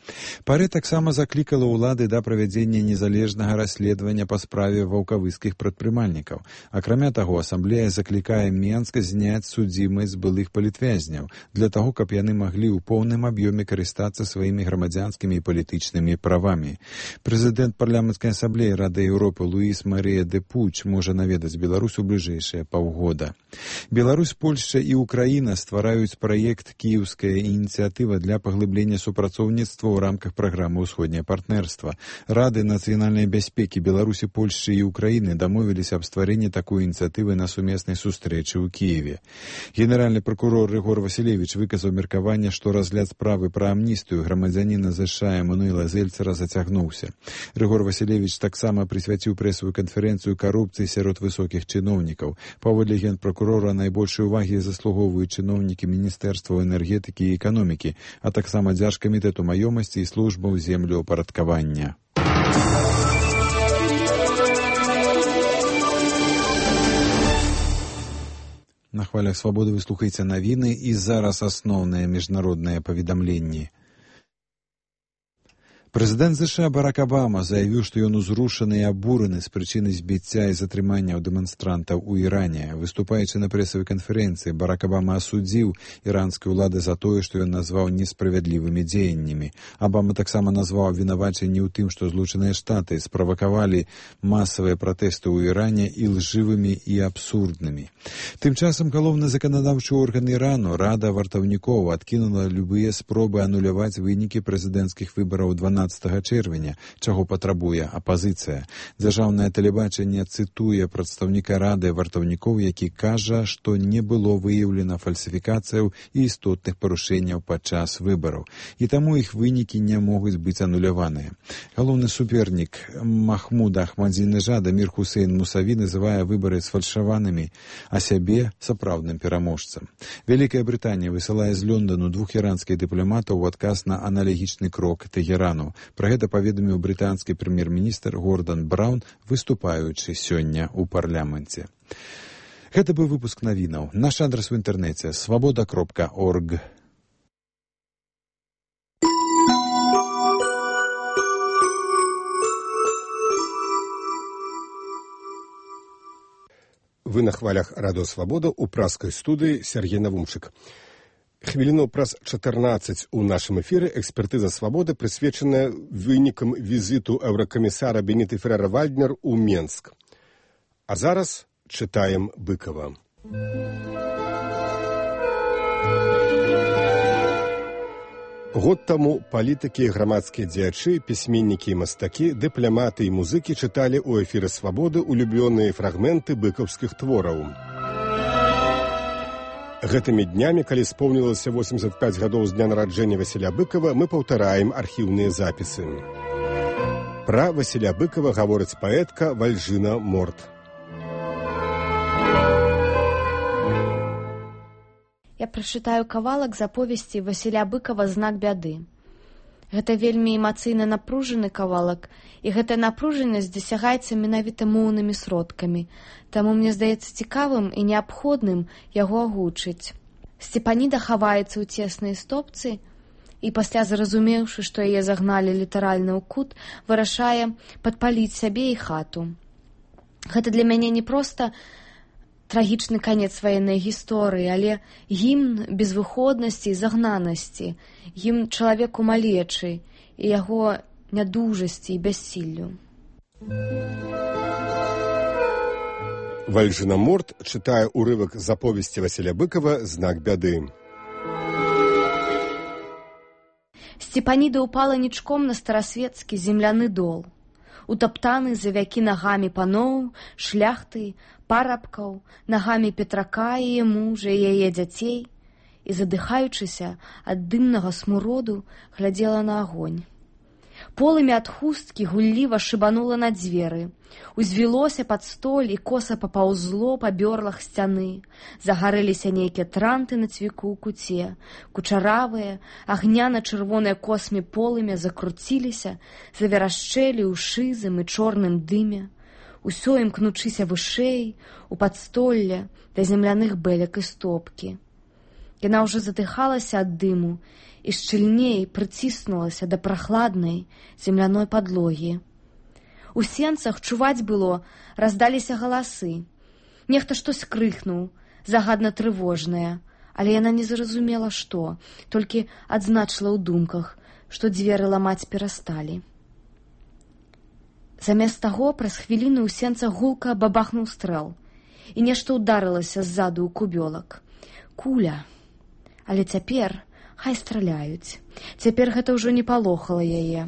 Парэ таксама заклікала ўлады да правядзення незалежнага расследавання па справе ваўкавыскіх прадпрымальнікаў. Акрамя таго, асамблея заклікае Менск зняць судзімасць былых палітвязняў для таго, каб яны маглі ў поўным аб'ёме карыстацца сваімі грамадзянскімі і палітычнымі правамі. Прэзідэнт парламенцкай асамблеі Рады Еўропы Луіс Марыя де Пуч можа наведаць Беларусь у бліжэйшыя паўгода. Беларусь, Польшча і Украіна ствараюць праект «Кіеўская ініцыятыва» для паглыблення супрацоўніцтва ў рамках праграмы «Усходняе партнерства». Рады нацыянальнай бяспекі Беларусі, Польшчы і Украіны дамовіліся аб стварэнні такой ініцыятывы на сумеснай сустрэчы ў Кіеве. Генеральны пракурор Рыгор Васілевіч выказаў меркаванне, што разгляд справы пра амністыю грамадзяніна США Эммануэла Зельцера зацягнуўся. Рыгор Васілевіч таксама прысвяціў прэсавую канферэнцыю карупцыі сярод высокіх чыноўнікаў. Паводле генпракурора, найбольшай увагі заслугоўваюць чыноўнікі Міністэрства энергетыкі і эканомікі, а таксама Дзяржкамітэту маёмасці і службаў землеўпарадкавання. На хвалях «Свабоды» вы слухаеце навіны і зараз асноўныя міжнародныя паведамленні. Прэзідэнт США Барак Абама заявіў, што ён узрушаны і абураны з прычыны збіцця і затрымання дэманстрантаў у Іране. Выступаючы на прэсавай канферэнцыі, Барак Абама асудзіў іранскія ўлады за тое, што ён назваў несправядлівымі дзеяннямі. Абама таксама назваў абвінавачанні ў тым, што Злучаныя Штаты справакавалі масавыя пратэсты ў Іране ілжывымі і абсурднымі. Тым часам галоўны заканадаўчы орган Ірану, Рада вартаўнікоў, адкінула любыя спробы ануляваць вынікі прэзідэнцкіх выбараў 12 чэрвеня, чаго патрабуе апазіцыя. Дзяржаўнае тэлебачанне цытуе прадстаўніка Рады вартаўнікоў, які кажа, што не было выяўлена фальсіфікацыяў і істотных парушэнняў падчас выбараў, і таму іх вынікі не могуць быць ануляваныя. Галоўны супернік Махмуда Ахмадзінежада Мір Хусейн Мусаві называе выбары сфальшаванымі, а сябе сапраўдным пераможцам. Вялікая Брытанія высылае з Лондону 2 іранскіх дыпламатаў у адказ на аналагічны крок Тэгерану. Пра гэта паведаміў брытанскі прэм'ер-міністр Гордан Браўн, выступаючы сёння ў парламенце. Гэта быў выпуск навінаў. Наш адрас у інтэрнэце свабода.орг. Вы на хвалях радыё «Свабода» у праскай студыі Сергей Навумчык. Хвіліну праз 14 у нашым эфіры экспертыза «Свабоды», прысвечаная вынікам візіту еўракамісара Беніты Феррера-Вальднер у Менск. А зараз чытаем Быкова. Год таму палітыкі, грамадскія дзеячы, пісьменнікі і мастакі, дыпламаты і музыкі чыталі ў эфіры «Свабоды» улюбёныя фрагменты быкаўскіх твораў. Гэтымі днямі, калі споўнілася 85 гадоў з дня нараджэння Васіля Быкова, мы паўтараем архіўныя запісы. Пра Васіля Быкова гаворыць паэтка Вальжына Морт. Я прачытаю кавалак з аповесці Васіля Быкова «Знак бяды». Гэта вельмі эмацыйна напружаны кавалак, і гэтая напружанасць дасягаецца менавіта моўнымі сродкамі, таму мне здаецца цікавым і неабходным яго агучыць. Сцепаніда хаваецца ў цеснай стопцы і пасля, зразумеўшы, што яе загналі літаральна ў кут, вырашае падпаліць сябе і хату. Гэта для мяне не проста трагічны канец ваеннай гісторыі, але гімн безвыходнасці і загнанасці, гімн чалавеку малечы і яго нядужасці і бяссіллю. Вальжынаморт чытае ўрывак з аповесці Васіля Быкова «Знак бяды». Степаніда ўпала нічком на старасветскі земляны дол, утаптаны за вякі нагамі паноў, шляхты, парабкаў, нагамі Петрака і мужа і яе дзяцей, і, задыхаючыся ад дымнага смуроду, глядзела на агонь. Полымя ад хусткі гулліва шыбанула на дзверы, узвілося пад столь і коса папаўзло па бёрлах сцяны. Загарэліся нейкія транты на цвіку ў куце, кучаравыя, агняна-чырвоныя космі полымя закруціліся, заверашчэлі ў шызым і чорным дыме. Усё імкнучыся вышэй, у падстолле, да земляных бэлек і стопкі. Яна ўжо задыхалася ад дыму і шчыльней прыціснулася да прахладнай земляной падлогі. У сенцах чуваць было, раздаліся галасы. Нехта штось крыкнуў, загадна трывожнае, але яна не зразумела што, толькі адзначыла ў думках, што дзверы ламаць перасталі. Замест таго праз хвіліну ў сенцах гулка бабахнуў стрэл, і нешта ўдарылася ззаду ў кубёлак. Куля. Але цяпер хай страляюць. Цяпер гэта ўжо не палохала яе.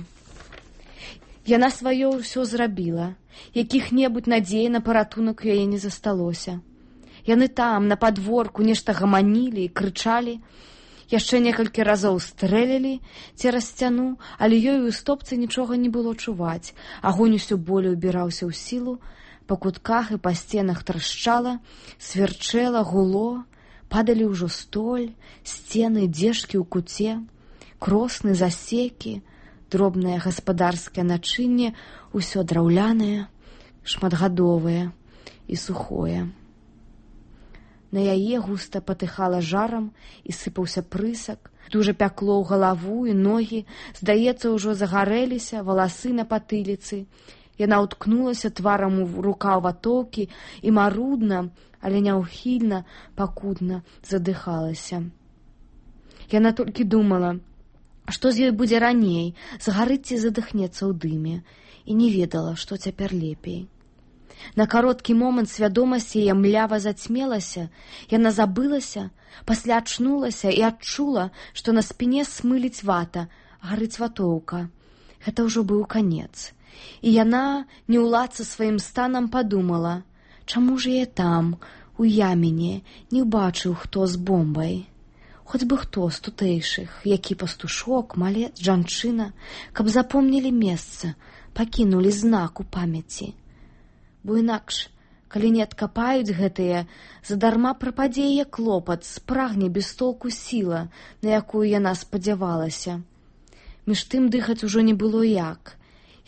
Яна сваё ўсё зрабіла. Якіх-небудзь надзей на паратунак у яе не засталося. Яны там, на падворку, нешта гаманілі і крычалі. Яшчэ некалькі разоў стрэлілі цераз сцяну, але ёй у стопцы нічога не было чуваць. Агонь усё болей убіраўся ў сілу. Па кутках і па сценах трашчала, сверчэла, гуло. Падалі ўжо столь, сцены, дзежкі ў куце, кросны, засекі, дробнае гаспадарскае начынне, усё драўлянае, шматгадовае і сухое. На яе густа патыхала жарам і сыпаўся прысак, дужа пякло ў галаву і ногі, здаецца, ўжо загарэліся валасы на патыліцы. Яна ўткнулася тварам у рукаў ватоўкі і марудна, але няўхільна, пакутна задыхалася. Яна толькі думала, што з ёй будзе раней, згарыць ці задыхнецца ў дыме, і не ведала, што цяпер лепей. На кароткі момант свядомасць яе млява зацьмелася, яна забылася, пасля ачнулася і адчула, што на спіне смыліць вата, гарыць ватоўка. Гэта ўжо быў канец. І яна, не ўладца сваім станам, падумала, чаму ж я там, у яміне, не ўбачыў, хто з бомбай. Хоць бы хто з тутэйшых, які пастушок, малец, жанчына, каб запомнілі месца, пакінулі знак у памяці. Бо інакш, калі не адкапаюць гэтыя, задарма прападзе яе клопат, спрагне без толку сіла, на якую яна спадзявалася. Між тым дыхаць ужо не было як.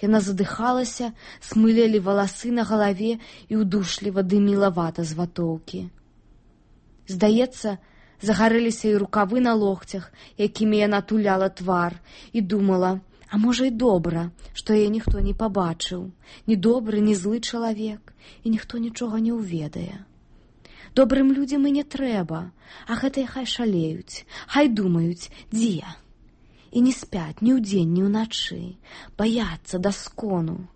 Яна задыхалася, смылелі валасы на галаве і ўдушліва дыміла вата з ватоўкі. Здаецца, загарэліся і рукавы на локцях, якімі яна туляла твар, і думала, а можа і добра, што яе ніхто не пабачыў, ні добры, ні злы чалавек, і ніхто нічога не ўведае. Добрым людзям і не трэба, а гэтыя хай шалеюць, хай думаюць, дзе. І не спяць ні ўдзень, ні ўначы, баяцца да скону.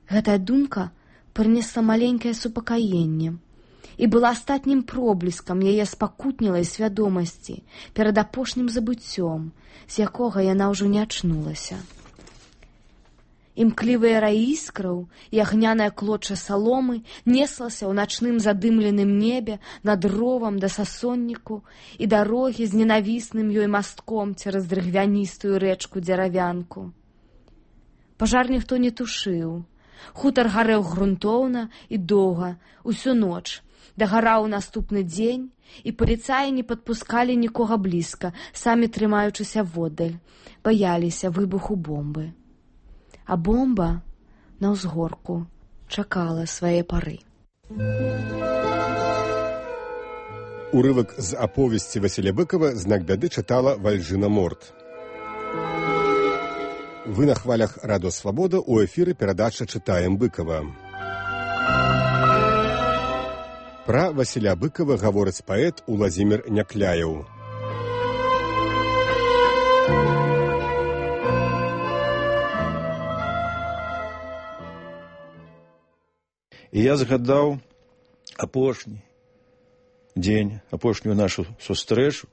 Гэтая думка прынесла маленькае супакаенне і была астатнім пробліскам яе спакутнілай свядомасці перад апошнім забыццём, з якога яна ўжо не ачнулася. Імклівыя раі іскраў і агняная клоча саломы неслася ў начным задымленым небе над ровам да сасонніку і дарогі з ненавісным ёй мастком цераз дрыгвяністую рэчку дзеравянку. Пажар ніхто не тушыў. Хутар гарэў грунтоўна і доўга, усю ноч. Дагараў наступны дзень, і паліцаі не падпускалі нікога блізка, самі трымаючыся воддаль, баяліся выбуху бомбы. А бомба на ўзгорку чакала свае пары. Урывак з аповесці Васіля Быкова «Знак бяды» чытала Вальжынаморт. Вы на хвалях Радио Свобода, у эфіры перадача «Чытаем Быкова». Пра Васіля Быкава гаворыць паэт Уладзімір Някляеў. І я згадаў апошні дзень, апошнюю нашу сустрэчу,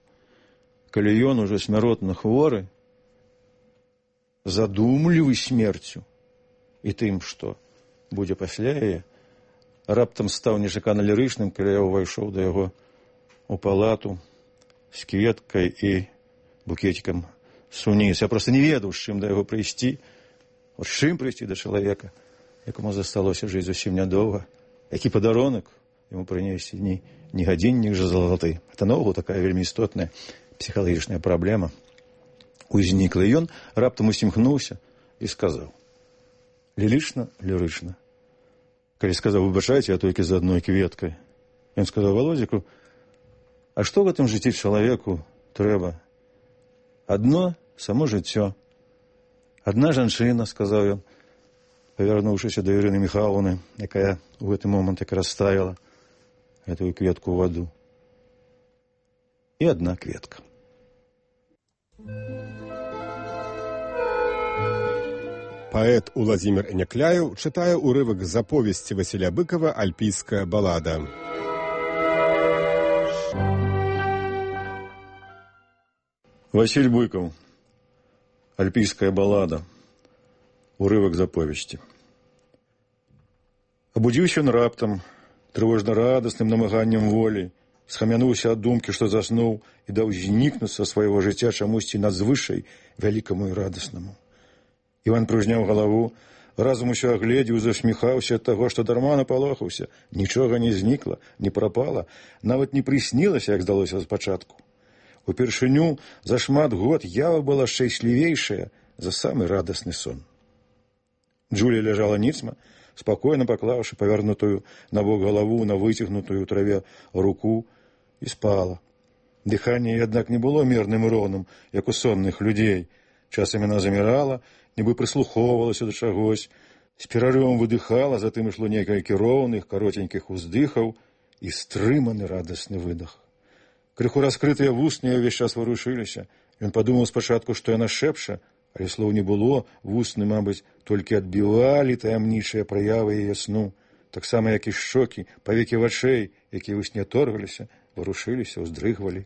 калі ён ужо смяротна хворы, задумлівы смерцю і тым, што будзе пасля яе, раптам стаў нечакана лірычным, калі я ўвайшоў да яго у палату з кветкай і букетикам суніс. Я проста не ведаў, з чым да яго прыйсці, з чым прыйсці да чалавека, якому засталося жыць зусім нядоўга, які падарунак яму прынесці, не гадзіннік жа залаты. Это наогул такая вельмі істотная псіхалагічная праблема узнікла. І ён раптам усімхнуўся і сказаў лірычна, калі сказаў, выбачайце, я толькі з адной кветкай. Ён сказаў Володзіку, а што в гэтым жыцці чалавеку трэба? Адно само жыццё. Адна жанчына, сказаў ён, павярнуўшыся да Ірыны Міхайлаўны, якая ў гэты момант як расставіла гэтую кветку ў ваду. І адна кветка. Паэт Уладзімір Някляеў чытае ўрывак з аповесці Васіля Быкава «Альпійская балада». Васіль Быкаў. «Альпійская балада». Урывак з аповесці. Абудзіўся ён раптам, трывожна-радасным намаганнем волі, схамянуўся ад думкі, што заснуў і даў знікнуць са свайго жыцця чамусьці надзвышай вялікаму і радаснаму. Іван прыўзняў галаву, разам усё агледзеў, засміхаўся ад таго, што дарма напалохаўся. Нічога не знікла, не прапала, нават не прыснілася, як здалося спачатку. Упершыню за шмат год ява была шчаслівейшая за самы радасны сон. Джулія ляжала ніцма, спакойна паклаўшы павярнутую на бок галаву на выцягнутую ў траве руку, і спала. Дыханне, аднак, не было мірным і роўным, як у сонных людзей. Часам яна замірала, нібы прыслухоўвалася да чагось, з перарывам выдыхала, затым ішло некалькі роўных, каротенькіх уздыхаў і стрыманы радасны выдах. Крыху раскрытыя вусны ўвесь час варушыліся. Ён падумаў спачатку, што яна шэпча, але слоў не было, вусны, мабыць, толькі адбівалі таямнічыя праявы яе сну, таксама, як і шчокі, павекі вачэй, якія ў сне торгаліся, варушыліся, уздрыгвалі.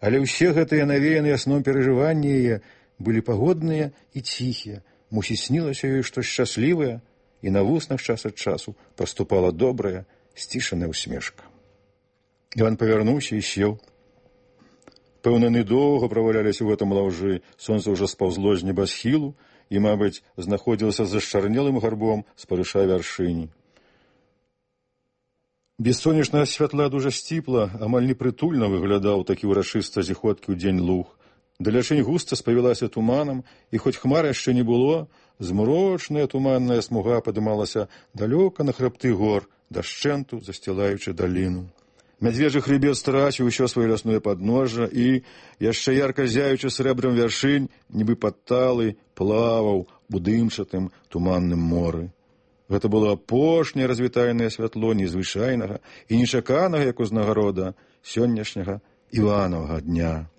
Але ўсе гэтыя навеяныя сном перажыванні яе былі пагодныя і ціхія. Мусіць, снілася ёй штось шчаслівае, і на вуснах час ад часу паступала добрая, сцішаная усмешка. Іван павярнуўся і сеў. Пэўна, недоўга праваляліся ў гэтым лаўжы, сонца ўжо спаўзло з небасхілу і, мабыць, знаходзілася за шчарнелым гарбом спарыша вяршыні. Без сонечнага святла дужа сціпла, амаль непрытульна выглядаў такі ўрачыста зіходкі ў дзень луг. Далячынь густа спавілася туманам, і хоць хмар яшчэ не было, змрочная туманная смуга падымалася далёка на хрыбты гор, дашчэнту засцілаючы даліну. Мядзвежы хрыбет страціў усё сваё лясное падножжа і, яшчэ ярка зяючы срэбрам вяршынь, нібы падталы, плаваў у дымчатым туманным моры. Гэта было апошняе развітальнае святло незвычайнага і нечаканага, як узнагарода, сённяшняга Іванавага дня.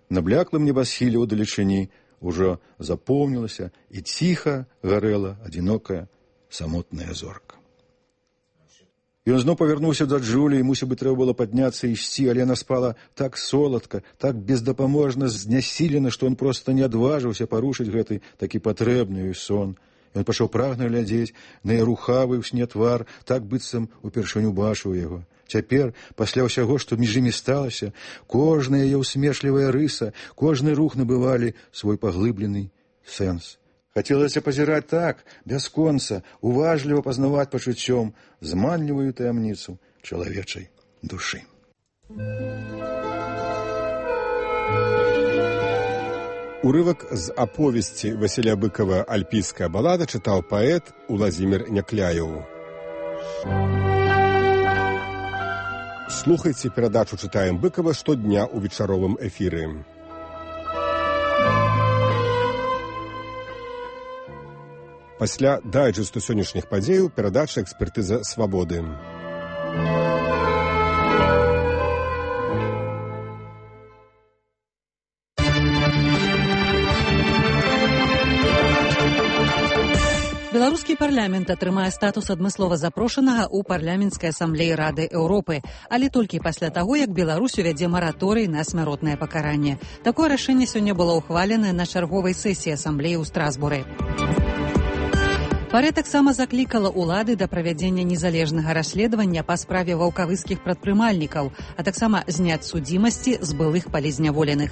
На бляклым небасхіле ў далечыні ўжо запомнілася і ціха гарэла адзінокая самотная зорка. Ён зноў павярнуўся да Джулі, і, мусіць бы, трэба было падняцца і ісці, але яна спала так соладка, так бездапаможна знясілена, што ён проста не адважыўся парушыць гэты такі патрэбны ёй сон. Ён пачаў прагна глядзець на яе рухавы ў сне твар, так быццам упершыню бачыў яго. Цяпер, пасля ўсяго, што між імі сталася, кожная яе ўсмешлівая рыса, кожны рух набывалі свой паглыблены сэнс. Хацелася пазіраць так, бясконца, уважліва пазнаваць пачуццём зманлівую таямніцу чалавечай душы. Урывак з аповесці Васіля Быкава «Альпійская балада» чытаў паэт Уладзімір Някляеў. Слухайце перадачу «Чытаем Быкава» штодня ў вечаровым эфіры. Пасля дайджэсту сённяшніх падзеяў перадача «Экспертыза свабоды». Беларускі парламент атрымае статус адмыслова запрошанага ў парламенцкай асамблеі Рады Еўропы, але толькі пасля таго, як Беларусь увядзе мараторый на смяротнае пакаранне. Такое рашэнне сёння было ўхваленае на чарговай сесіі асамблеі ў Страсбуры. Парэ таксама заклікала ўлады да правядзення незалежнага расследавання па справе ваўкавыскіх прадпрымальнікаў, а таксама зняць судзімасці з былых палізняволеных.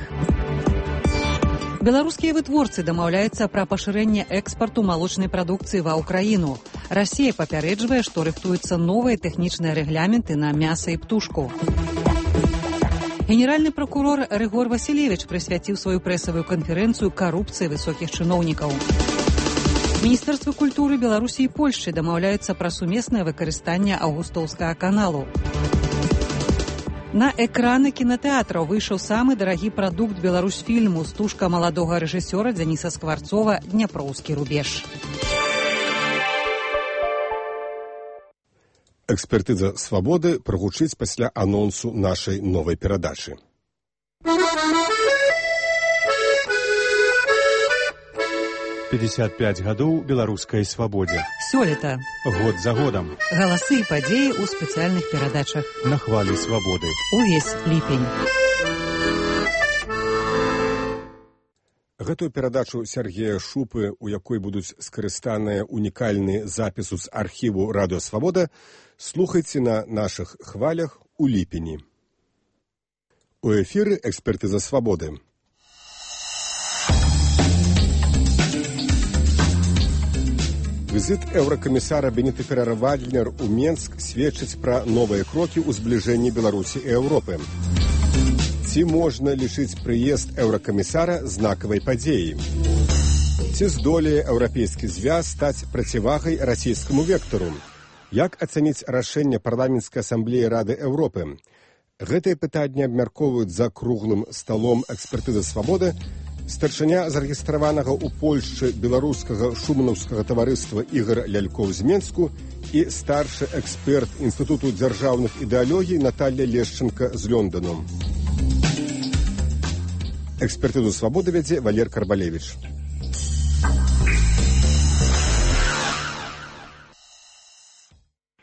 Беларускія вытворцы дамаўляюцца пра пашырэнне экспарту малочнай прадукцыі ва ўкраіну. Расія папярэджвае, што рыхтуюцца новыя тэхнічныя рэгляменты на мяса і птушку. Генеральны пракурор Рыгор Васілевіч прысвяціў сваю прэсавую канферэнцыю карупцыі высокіх чыноўнікаў. Міністэрствы культуры Беларусі і Польшчы дамаўляюцца пра сумеснае выкарыстанне Аўгустоўскага каналу. На экраны кінатэатраў выйшаў самы дарагі прадукт беларусфільму стужка маладога рэжысёра Дзяніса Скварцова «Дняпроўскі рубеж». Экспертыза «Свабоды» прагучыць пасля анонсу нашай новай перадачы. «55 гадоў беларускай свабодзе». Сёлета. Год за годам. Галасы і падзеі ў спецыяльных перадачах. На хвалі свабоды. Увесь ліпень. Гэтую перадачу Сергея Шупы, у якой будуць скарыстаныя унікальныя запісу з архіву «Радыё Свабода», слухайце на нашых хвалях у ліпені. У эфіры «Экспертыза Свабоды». Візіт еўракамісара Беніты Феррера-Вальднер у Менск сведчыць пра новыя крокі ў збліжэнні Беларусі і Еўропы. Ці можна лічыць прыезд еўракамісара знакавай падзеяй? Ці здолее еўрапейскі звяз стаць процівагай расійскаму вектару? Як ацаніць рашэнне парламенцкай асамблеі Рады Еўропы? Гэтыя пытанні абмяркоўваюць за круглым сталом экспертызы «Свабоды» старшыня зарэгістраванага ў Польшчы беларускага шуманаўскага таварыства Ігар Лялькоў з Менску і старшы эксперт Інстытуту дзяржаўных ідэалогій Наталья Лешченка з Лёндану. Экспертызу «Свабоды» вядзе Валер Карбалевіч.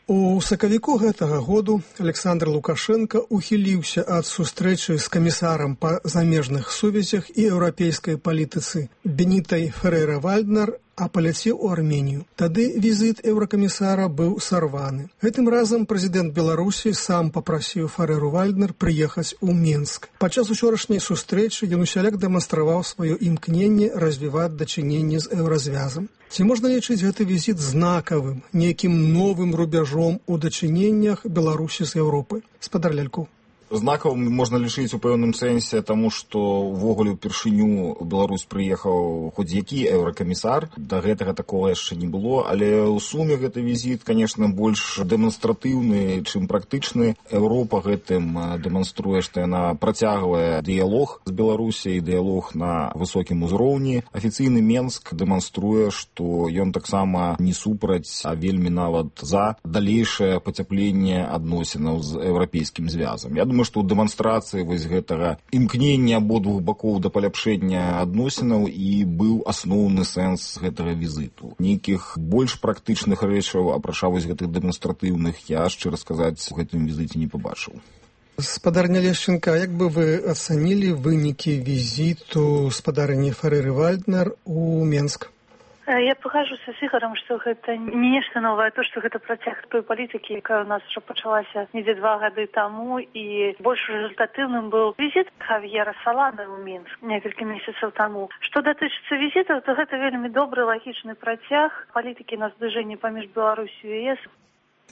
У сакавіку гэтага году Александр Лукашенко ухіліўся ад сустрэчы з камісарам па замежных сувязях і еўрапейскай палітыцы Бенітай Феррера-Вальднер, а паляцеў у Арменію. Тады візіт еўракамісара быў сарваны. Гэтым разам прэзідэнт Беларусі сам папрасіў Ферреру-Вальднер прыехаць у Менск. Падчас учорашняй сустрэчы ён усяляк дэманстраваў сваё імкненне развіваць дачыненні з еўразвязам. Ці можна лічыць гэты візіт знакавым, нейкім новым рубяжом у дачыненнях Беларусі з Еўропы? Спадар Лялькоў. Знакавым можна лічыць у пэўным сэнсе, таму што ўвогуле ўпершыню ў Беларусь прыехаў хоць які еўракамісар. Да гэтага такога яшчэ не было, але ў суме гэты візіт, конечно, больш дэманстратыўны, чым практычны. Еўропа гэтым дэманструе, што яна працягвае дыялог з Беларусяй, дыялог на высокім узроўні. Афіцыйны Менск дэманструе, што ён таксама не супраць, а вельмі нават за далейшае пацяпленне адносінаў з еўрапейскім звязам. Я думаю, што ў дэманстрацыі вось гэтага імкнення абодвух бакоў да паляпшэння адносінаў і быў асноўны сэнс гэтага візіту. Нейкіх больш практычных рэчаў, апрача вось гэтых дэманстратыўных, я, шчыра сказаць, у гэтым візіце не пабачыў. Спадарня Лешченка, як бы вы ацанілі вынікі візіту спадарні Ферреры-Вальднер у Менск? Я пагажуся з Ігарам, што гэта не нешта новае, то, што гэта працяг той палітыкі, якая ў нас ўжо пачалася недзе 2 гады таму, і больш результатыўным быў візіт Хав'ера Салана ў Мінск некалькі месяцаў таму. Што датычыцца візітаў, то гэта вельмі добры лагічны працяг палітыкі на збліжэнні паміж Беларусю і ЕС.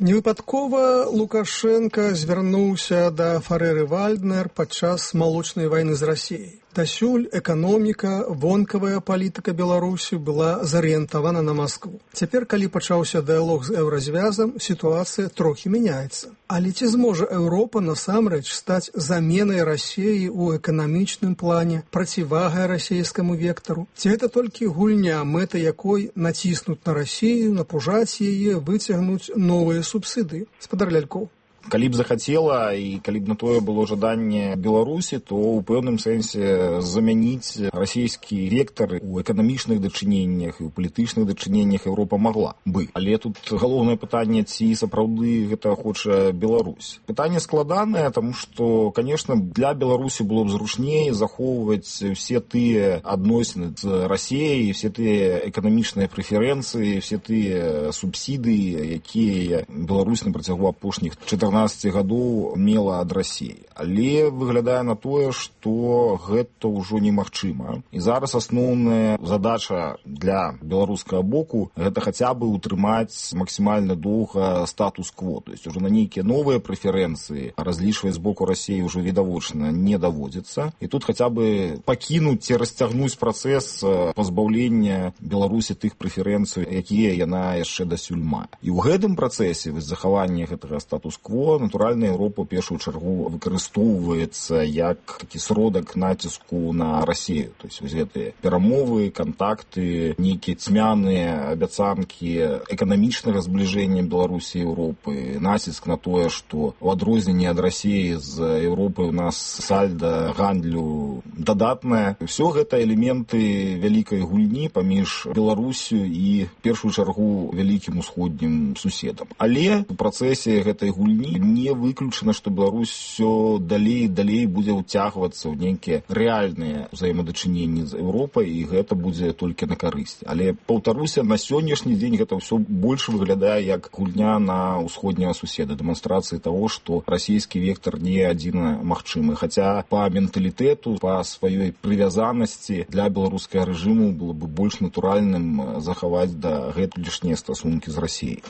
Невыпадкова Лукашенко звярнуўся да Ферреры-Вальднер падчас малочнай вайны з Расіяй. Дасюль эканоміка, вонкавая палітыка Беларусі была зарыентавана на Маскву. Цяпер, калі пачаўся дыялог з еўразвязам, сітуацыя трохі мяняецца. Але ці зможа Еўропа насамрэч стаць заменай Расіі ў эканамічным плане, процівагай расійскаму вектару? Ці гэта толькі гульня, мэта якой націснуць на Расію, напужаць яе, выцягнуць новыя субсідыі? Спадар Лялькоў. Калі б захацела і калі б на тое было жаданне Беларусі, то ў пэўным сэнсе замяніць расійскі вектар у эканамічных дачыненнях і ў палітычных дачыненнях Еўропа магла бы. Але тут галоўнае пытанне, ці сапраўды гэта хоча Беларусь. Пытанне складанае, таму што, конечно, для Беларусі было б зручней захоўваць все тыя адносіны з Расіяй, все тыя эканамічныя прэферэнцыі, все тыя субсідыі, якія Беларусь на працягу апошніх 14 гадоў мела ад Расіі. Але выглядае на тое, што гэта ўжо немагчыма. І зараз асноўная задача для беларускага боку гэта хаця бы утрымаць максімальна доўга статус-кво. То есть уже на нейкія новыя прэферэнцыі разлічваць з боку Расіі ўжо відавочна не даводзіцца. І тут хаця бы пакінуць ці расцягнуць працэс пазбаўлення Беларусі тых прэферэнцый, якія яна яшчэ дасюль мае. І ў гэтым працэсе захавання гэтага статус-кво натуральна Еўропа ў першую чаргу выкарыстоўваецца як такі сродак націску на Расію. То есть гэтыя перамовы, кантакты, нейкія цьмяныя абяцанкі эканамічнага збліжэння Беларусі і Еўропы, націск на тое, што у адрозненне ад Расіі з Еўропы у нас сальда гандлю дадатнае. Усё гэта элементы вялікай гульні паміж Беларусю і в першую чаргу вялікім усходнім суседам. Але у працэсе гэтай гульні не выключана, што Беларусь все далей і далей будзе ўцягвацца ў нейкія рэальныя ўзаемадачыненні з Еўропай, і гэта будзе толькі на карысць. Але, паўтаруся, на сённяшні дзень гэта ўсё больш выглядае як гульня на ўсходняга суседа, дэманстрацыі таго, што расійскі вектар не адзіна магчымы. Хаця па менталітэту, па сваёй прывязанасці для беларускага рэжыму было бы больш натуральным захаваць да гэтулішнія стасункі з Расіяй.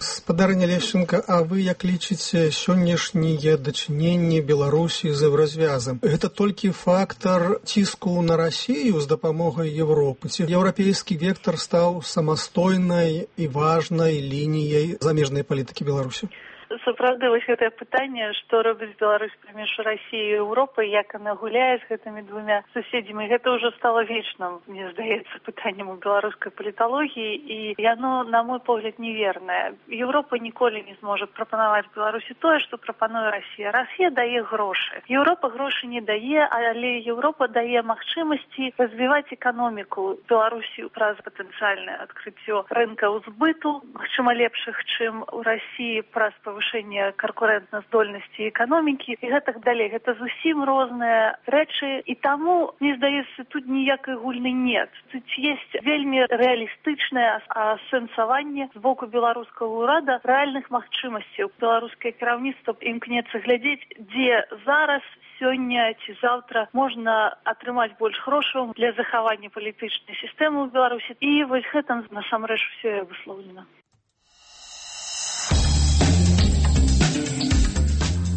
Спадарня Лешченка, а вы як лічыце сённяшнія дачыненні Беларусі з еўразвязам? Гэта толькі фактар ціску на Расію з дапамогай Еўропы? Ці еўрапейскі вектар стаў самастойнай і важнай лініяй замежнай палітыкі Беларусі? Сапраўды, вось гэтае пытанне, што робіць Беларусь паміж Расіяй і Еўропай, як яна гуляе з гэтымі двумя суседзямі, гэта ўжо стала вечным, мне здаецца, пытаннем у беларускай паліталогіі, і яно, на мой погляд, невернае. Еўропа ніколі не зможа прапанаваць Беларусі тое, што прапануе Расія. Расія дае грошы. Еўропа грошы не дае, але Еўропа дае магчымасці развіваць эканоміку Беларусі праз патэнцыяльнае адкрыццё рынкаў збыту, магчыма, лепшых, чым у Расіі, праз павышэнне канкурэнтназдольнасці эканомікі і гэтак далей. Гэта зусім розныя рэчы, і таму, мне здаецца, тут ніякай гульны нет. Тут ёсць вельмі рэалістычнае асэнсаванне з боку беларускага ўрада рэальных магчымасцяў. Беларускае кіраўніцтва імкнецца глядзець, дзе зараз, сёння ці заўтра можна атрымаць больш грошаў для захавання палітычнай сістэмы ў Беларусі. І вось гэтым насамрэч усё выслоўлена.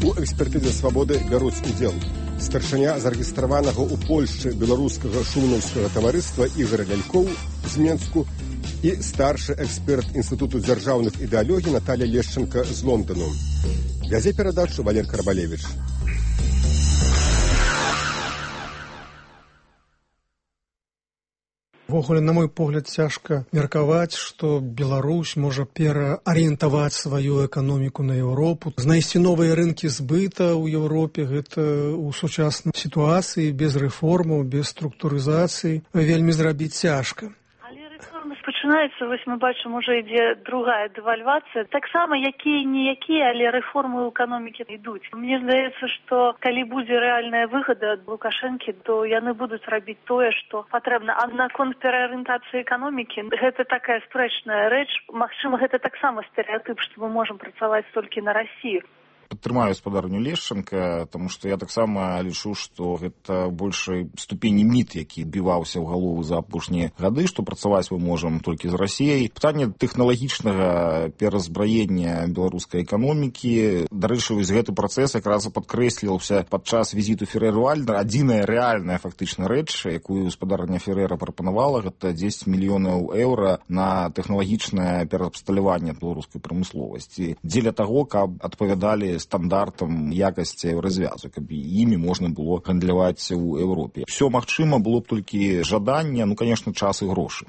У экспертызе «Свабоды» бяруць удзел старшыня зарэгістраванага ў Польшчы беларускага шумнаўскага таварыства Ігор Лялькоў з Менску і старшы эксперт Інстытуту дзяржаўных ідэалогій Наталія Лешченка з Лондану. Вядзе перадачу Валер Карбалевіч. Увогуле, на мой погляд, цяжка меркаваць, што Беларусь можа пераарыентаваць сваю эканоміку на Еўропу. Знайсці новыя рынкі збыта ў Еўропе, гэта ў сучаснай сітуацыі, без рэформаў, без структурызацыі, вельмі зрабіць цяжка. Пачынаецца, вось мы бачым, уже ідзе другая дэвальвацыя. Таксама якія-ніякія, але рэформы ў эканомікі ідуць. Мне здаецца, што калі будзе рэальная выгада ад Лукашэнкі, то яны будуць рабіць тое, што патрэбна. А наконт пераарыентацыі эканомікі, гэта такая спрэчная рэч. Магчыма, гэта таксама стэрэатып, што мы можам працаваць толькі на Расію. Падтрымаю спадарню Лешченка, таму што я таксама лічу, што гэта большай ступені міт, які біваўся ў галову за апошнія гады, што працаваць мы можам толькі з Расіяй. Пытанне тэхналагічнага перазбраення беларускай эканомікі. Дарэчы, вось гэты працэс якраз падкрэсліваўся падчас візіту Ферэр Вальднера. Адзіная рэальная фактычна рэч, якую спадарня Ферэра прапанавала, гэта 10 мільёнаў еўра на тэхналагічнае пераабсталяванне беларускай прамысловасці. Дзеля таго, каб адпавядалі стандартам якасці еўразвязу, каб імі можна было гандляваць у Еўропе. Все магчыма, было б толькі жаданне, конечно, час і грошы.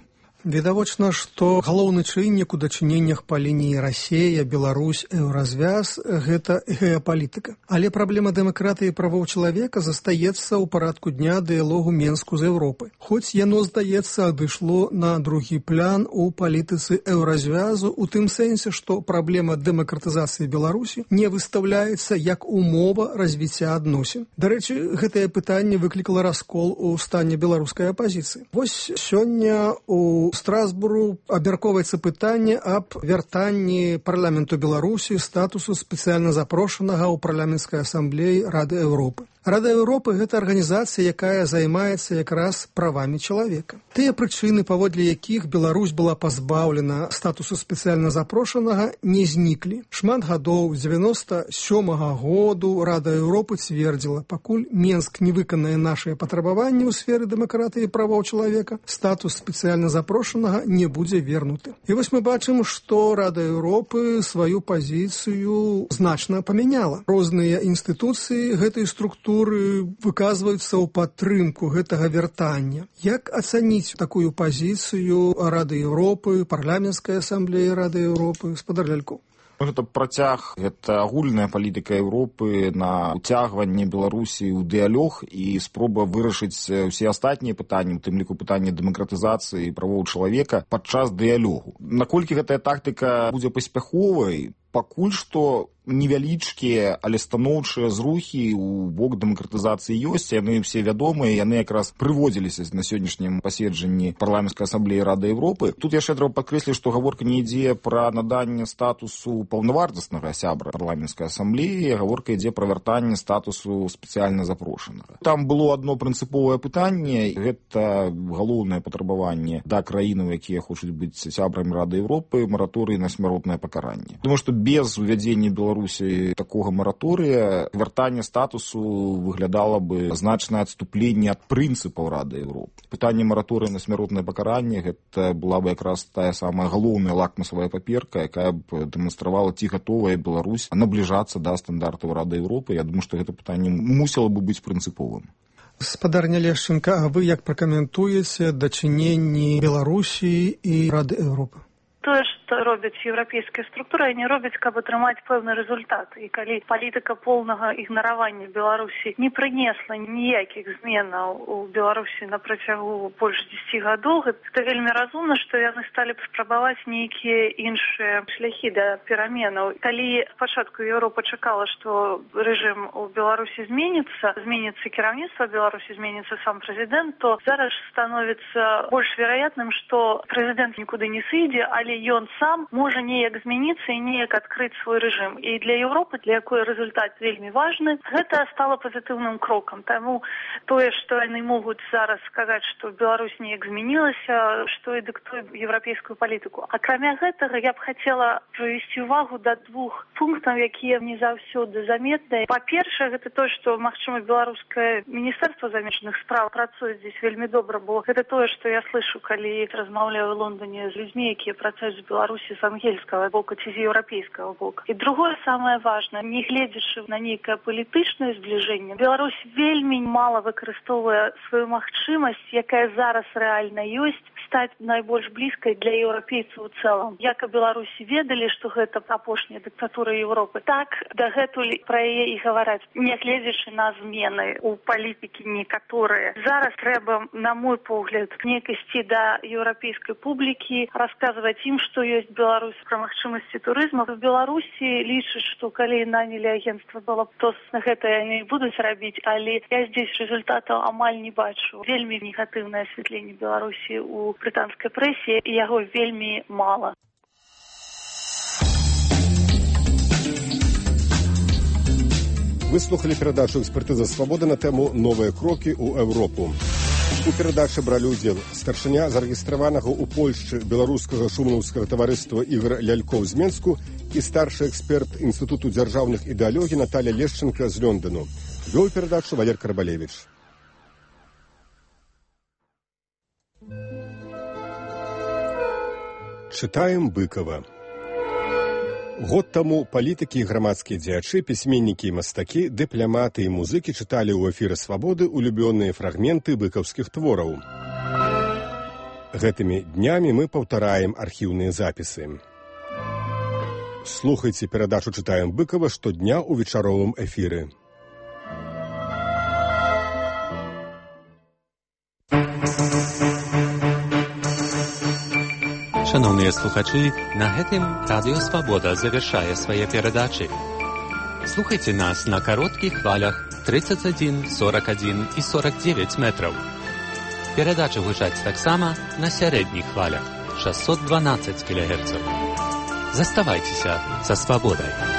Відавочна, што галоўны чыннік у дачыненнях па лініі Расія, Беларусь, Еўразвяз – гэта геапалітыка. Але праблема дэмакратыі і правоў чалавека застаецца ў парадку дня дыялогу Менску з Еўропай. Хоць яно, здаецца, адышло на другі план у палітыцы Еўразвязу ў тым сэнсе, што праблема дэмакратызацыі Беларусі не выстаўляецца як умова развіцця адносін. Дарэчы, гэтае пытанне выклікала раскол у стане беларускай апазіцыі. Вось сёння у Страсбуру абмяркоўваецца пытанне аб вяртанні парламенту Беларусі статусу спецыяльна запрошанага ў парламенцкай асамблеі Рады Еўропы. Рада Еўропы – гэта арганізацыя, якая займаецца якраз правамі чалавека. Тыя прычыны, паводле якіх Беларусь была пазбаўлена статусу спецыяльна запрошанага, не зніклі. Шмат гадоў, з 97-го году Рада Еўропы цвердзіла, пакуль Менск не выканае нашыя патрабаванні ў сферы дэмакратыі і правоў чалавека, статус спецыяльна запрошанага не будзе вернуты. І вось мы бачым, што Рада Еўропы сваю пазіцыю значна памяняла. Розныя інстытуцыі гэтай структуры выказваюцца ў падтрымку гэтага вяртання. Як ацаніць такую пазіцыю Рады Еўропы, парламенцкай асамблеі Рады Еўропы? Спадар Лялькоў. Гэта працяг, гэта агульная палітыка Еўропы на уцягванне Беларусі ў дыялог і спроба вырашыць усе астатнія пытанні, у тым ліку пытанне дэмакратызацыі і правоў чалавека падчас дыялогу. Наколькі гэтая тактыка будзе паспяховай, пакуль што невялічкія, але станоўчыя зрухі ў бок дэмакратызацыі ёсць, яны ўсе вядомыя, яны якраз прыводзіліся на сённяшнім паседжанні парламенцкай асамблеі Рады Еўропы. Тут яшчэ трэба падкрэсліць, што гаворка не ідзе пра наданне статусу паўнавартаснага сябра парламенцкай асамблеі, гаворка ідзе пра вяртанне статусу спецыяльна запрошанага. Там было адно прынцыповае пытанне, гэта галоўнае патрабаванне да краінаў, якія хочуць быць сябрамі Рады Еўропы, мараторый на смяротнае пакаранне. Тому што без увядзення Беларусі такога мараторыя вяртанне статусу выглядала бы значнае адступленне ад прынцыпаў Рады Еўропы. Пытанне мараторыя на смяротнае пакаранне гэта была бы якраз тая самая галоўная лакмусавая паперка, якая б дэманстравала, ці гатовая Беларусь набліжацца да стандартаў Рады Еўропы. Я думаю, што гэта пытанне мусіла бы быць прынцыповым. Спадарня Лешченка, а вы як пракаментуеце дачыненні Беларусі і Рады Еўропы? Тое, што робяць еўрапейскія структуры, яны робяць, каб атрымаць пэўны рэзультат. І калі палітыка поўнага ігнаравання Беларусі не прынесла ніякіх зменаў у Беларусі на працягу больш 10 гадоў, гэта вельмі разумна, што яны сталі б спрабаваць нейкія іншыя шляхі да пераменаў. Калі спачатку Еўропа чакала, што рэжым у Беларусі зменіцца кіраўніцтва Беларусі, зменіцца сам прэзідэнт, то зараз становіцца больш вераятным, што прэзідэнт нікуды не сыдзе, але ён сам можа неяк змяніцца і неяк адкрыць свой рэжым. І для Еўропы, для якой рэзультат вельмі важны, гэта стала пазітыўным крокам. Таму тое, што яны могуць зараз сказаць, што Беларусь неяк змянілася, што і дыктуе еўрапейскую палітыку. Акрамя гэтага, я б хацела прывесці ўвагу да двух пунктаў, якія не заўсёды заметныя. Па-першае, гэта тое, што, магчыма, беларускае міністэрства замежных спраў працуе здесь вельмі добра, бо гэта тое, што я слышу, калі размаўляю ў Лондоне з людзьмі, якія працуюць з Беларусі з ангельскага боку ці з еўрапейскага боку. І другое самае важнае, не гледзячы на нейкае палітычнае збліжэнне, Беларусь вельмі мала выкарыстоўвае сваю магчымасць, якая зараз рэальна ёсць, стаць найбольш блізкай для еўрапейцаў у цэлым. Як і Беларусі ведалі, што гэта апошняя дыктатура Еўропы, так дагэтуль пра яе і гавараць, не гледзячы на змены ў палітыкі некаторыя. Зараз трэба, на мой погляд, неяк ісці да еўрапейскай публікі, расказваць ім, што ёсць Беларусь пра магчымасці турызму. В Беларусі лічаць, што калі нанялі агенцтва было, то гэта яны будуць рабіць, але я здесь результатаў амаль не бачу. Вельмі негатыўнае асвятленне Беларусі ў брытанскай прэсе, і яго вельмі мала. Вы слухали перадачу «Экспертыза свабоды» на тэму «Новыя крокі ў Еўропу». У перадачы бралі ўдзел старшыня зарэгістраванага ў Польшчы беларускага шумаўскага таварыства Ігор Лялькоў з Менску і старшы эксперт Інстытуту дзяржаўных ідэалогій Наталя Лешченка з Лондону. Вёў перадачу Валер Карбалевіч. Чытаем Быкова. Год таму палітыкі і грамадскія дзеячы, пісьменнікі і мастакі, дыпламаты і музыкі чыталі ў эфіры «Свабоды» улюбёныя фрагменты быкаўскіх твораў. Гэтымі днямі мы паўтараем архіўныя запісы. Слухайце перадачу «Чытаем Быкова» штодня ў вечаровым эфіры. Шановныя слухачы, на гэтым Радыё Свабода завяршае свае перадачы. Слухайце нас на кароткіх хвалях 31, 41 і 49 метраў. Перадачы гучаць таксама на сярэдніх хвалях 612 кГц. Заставайцеся са свабодай.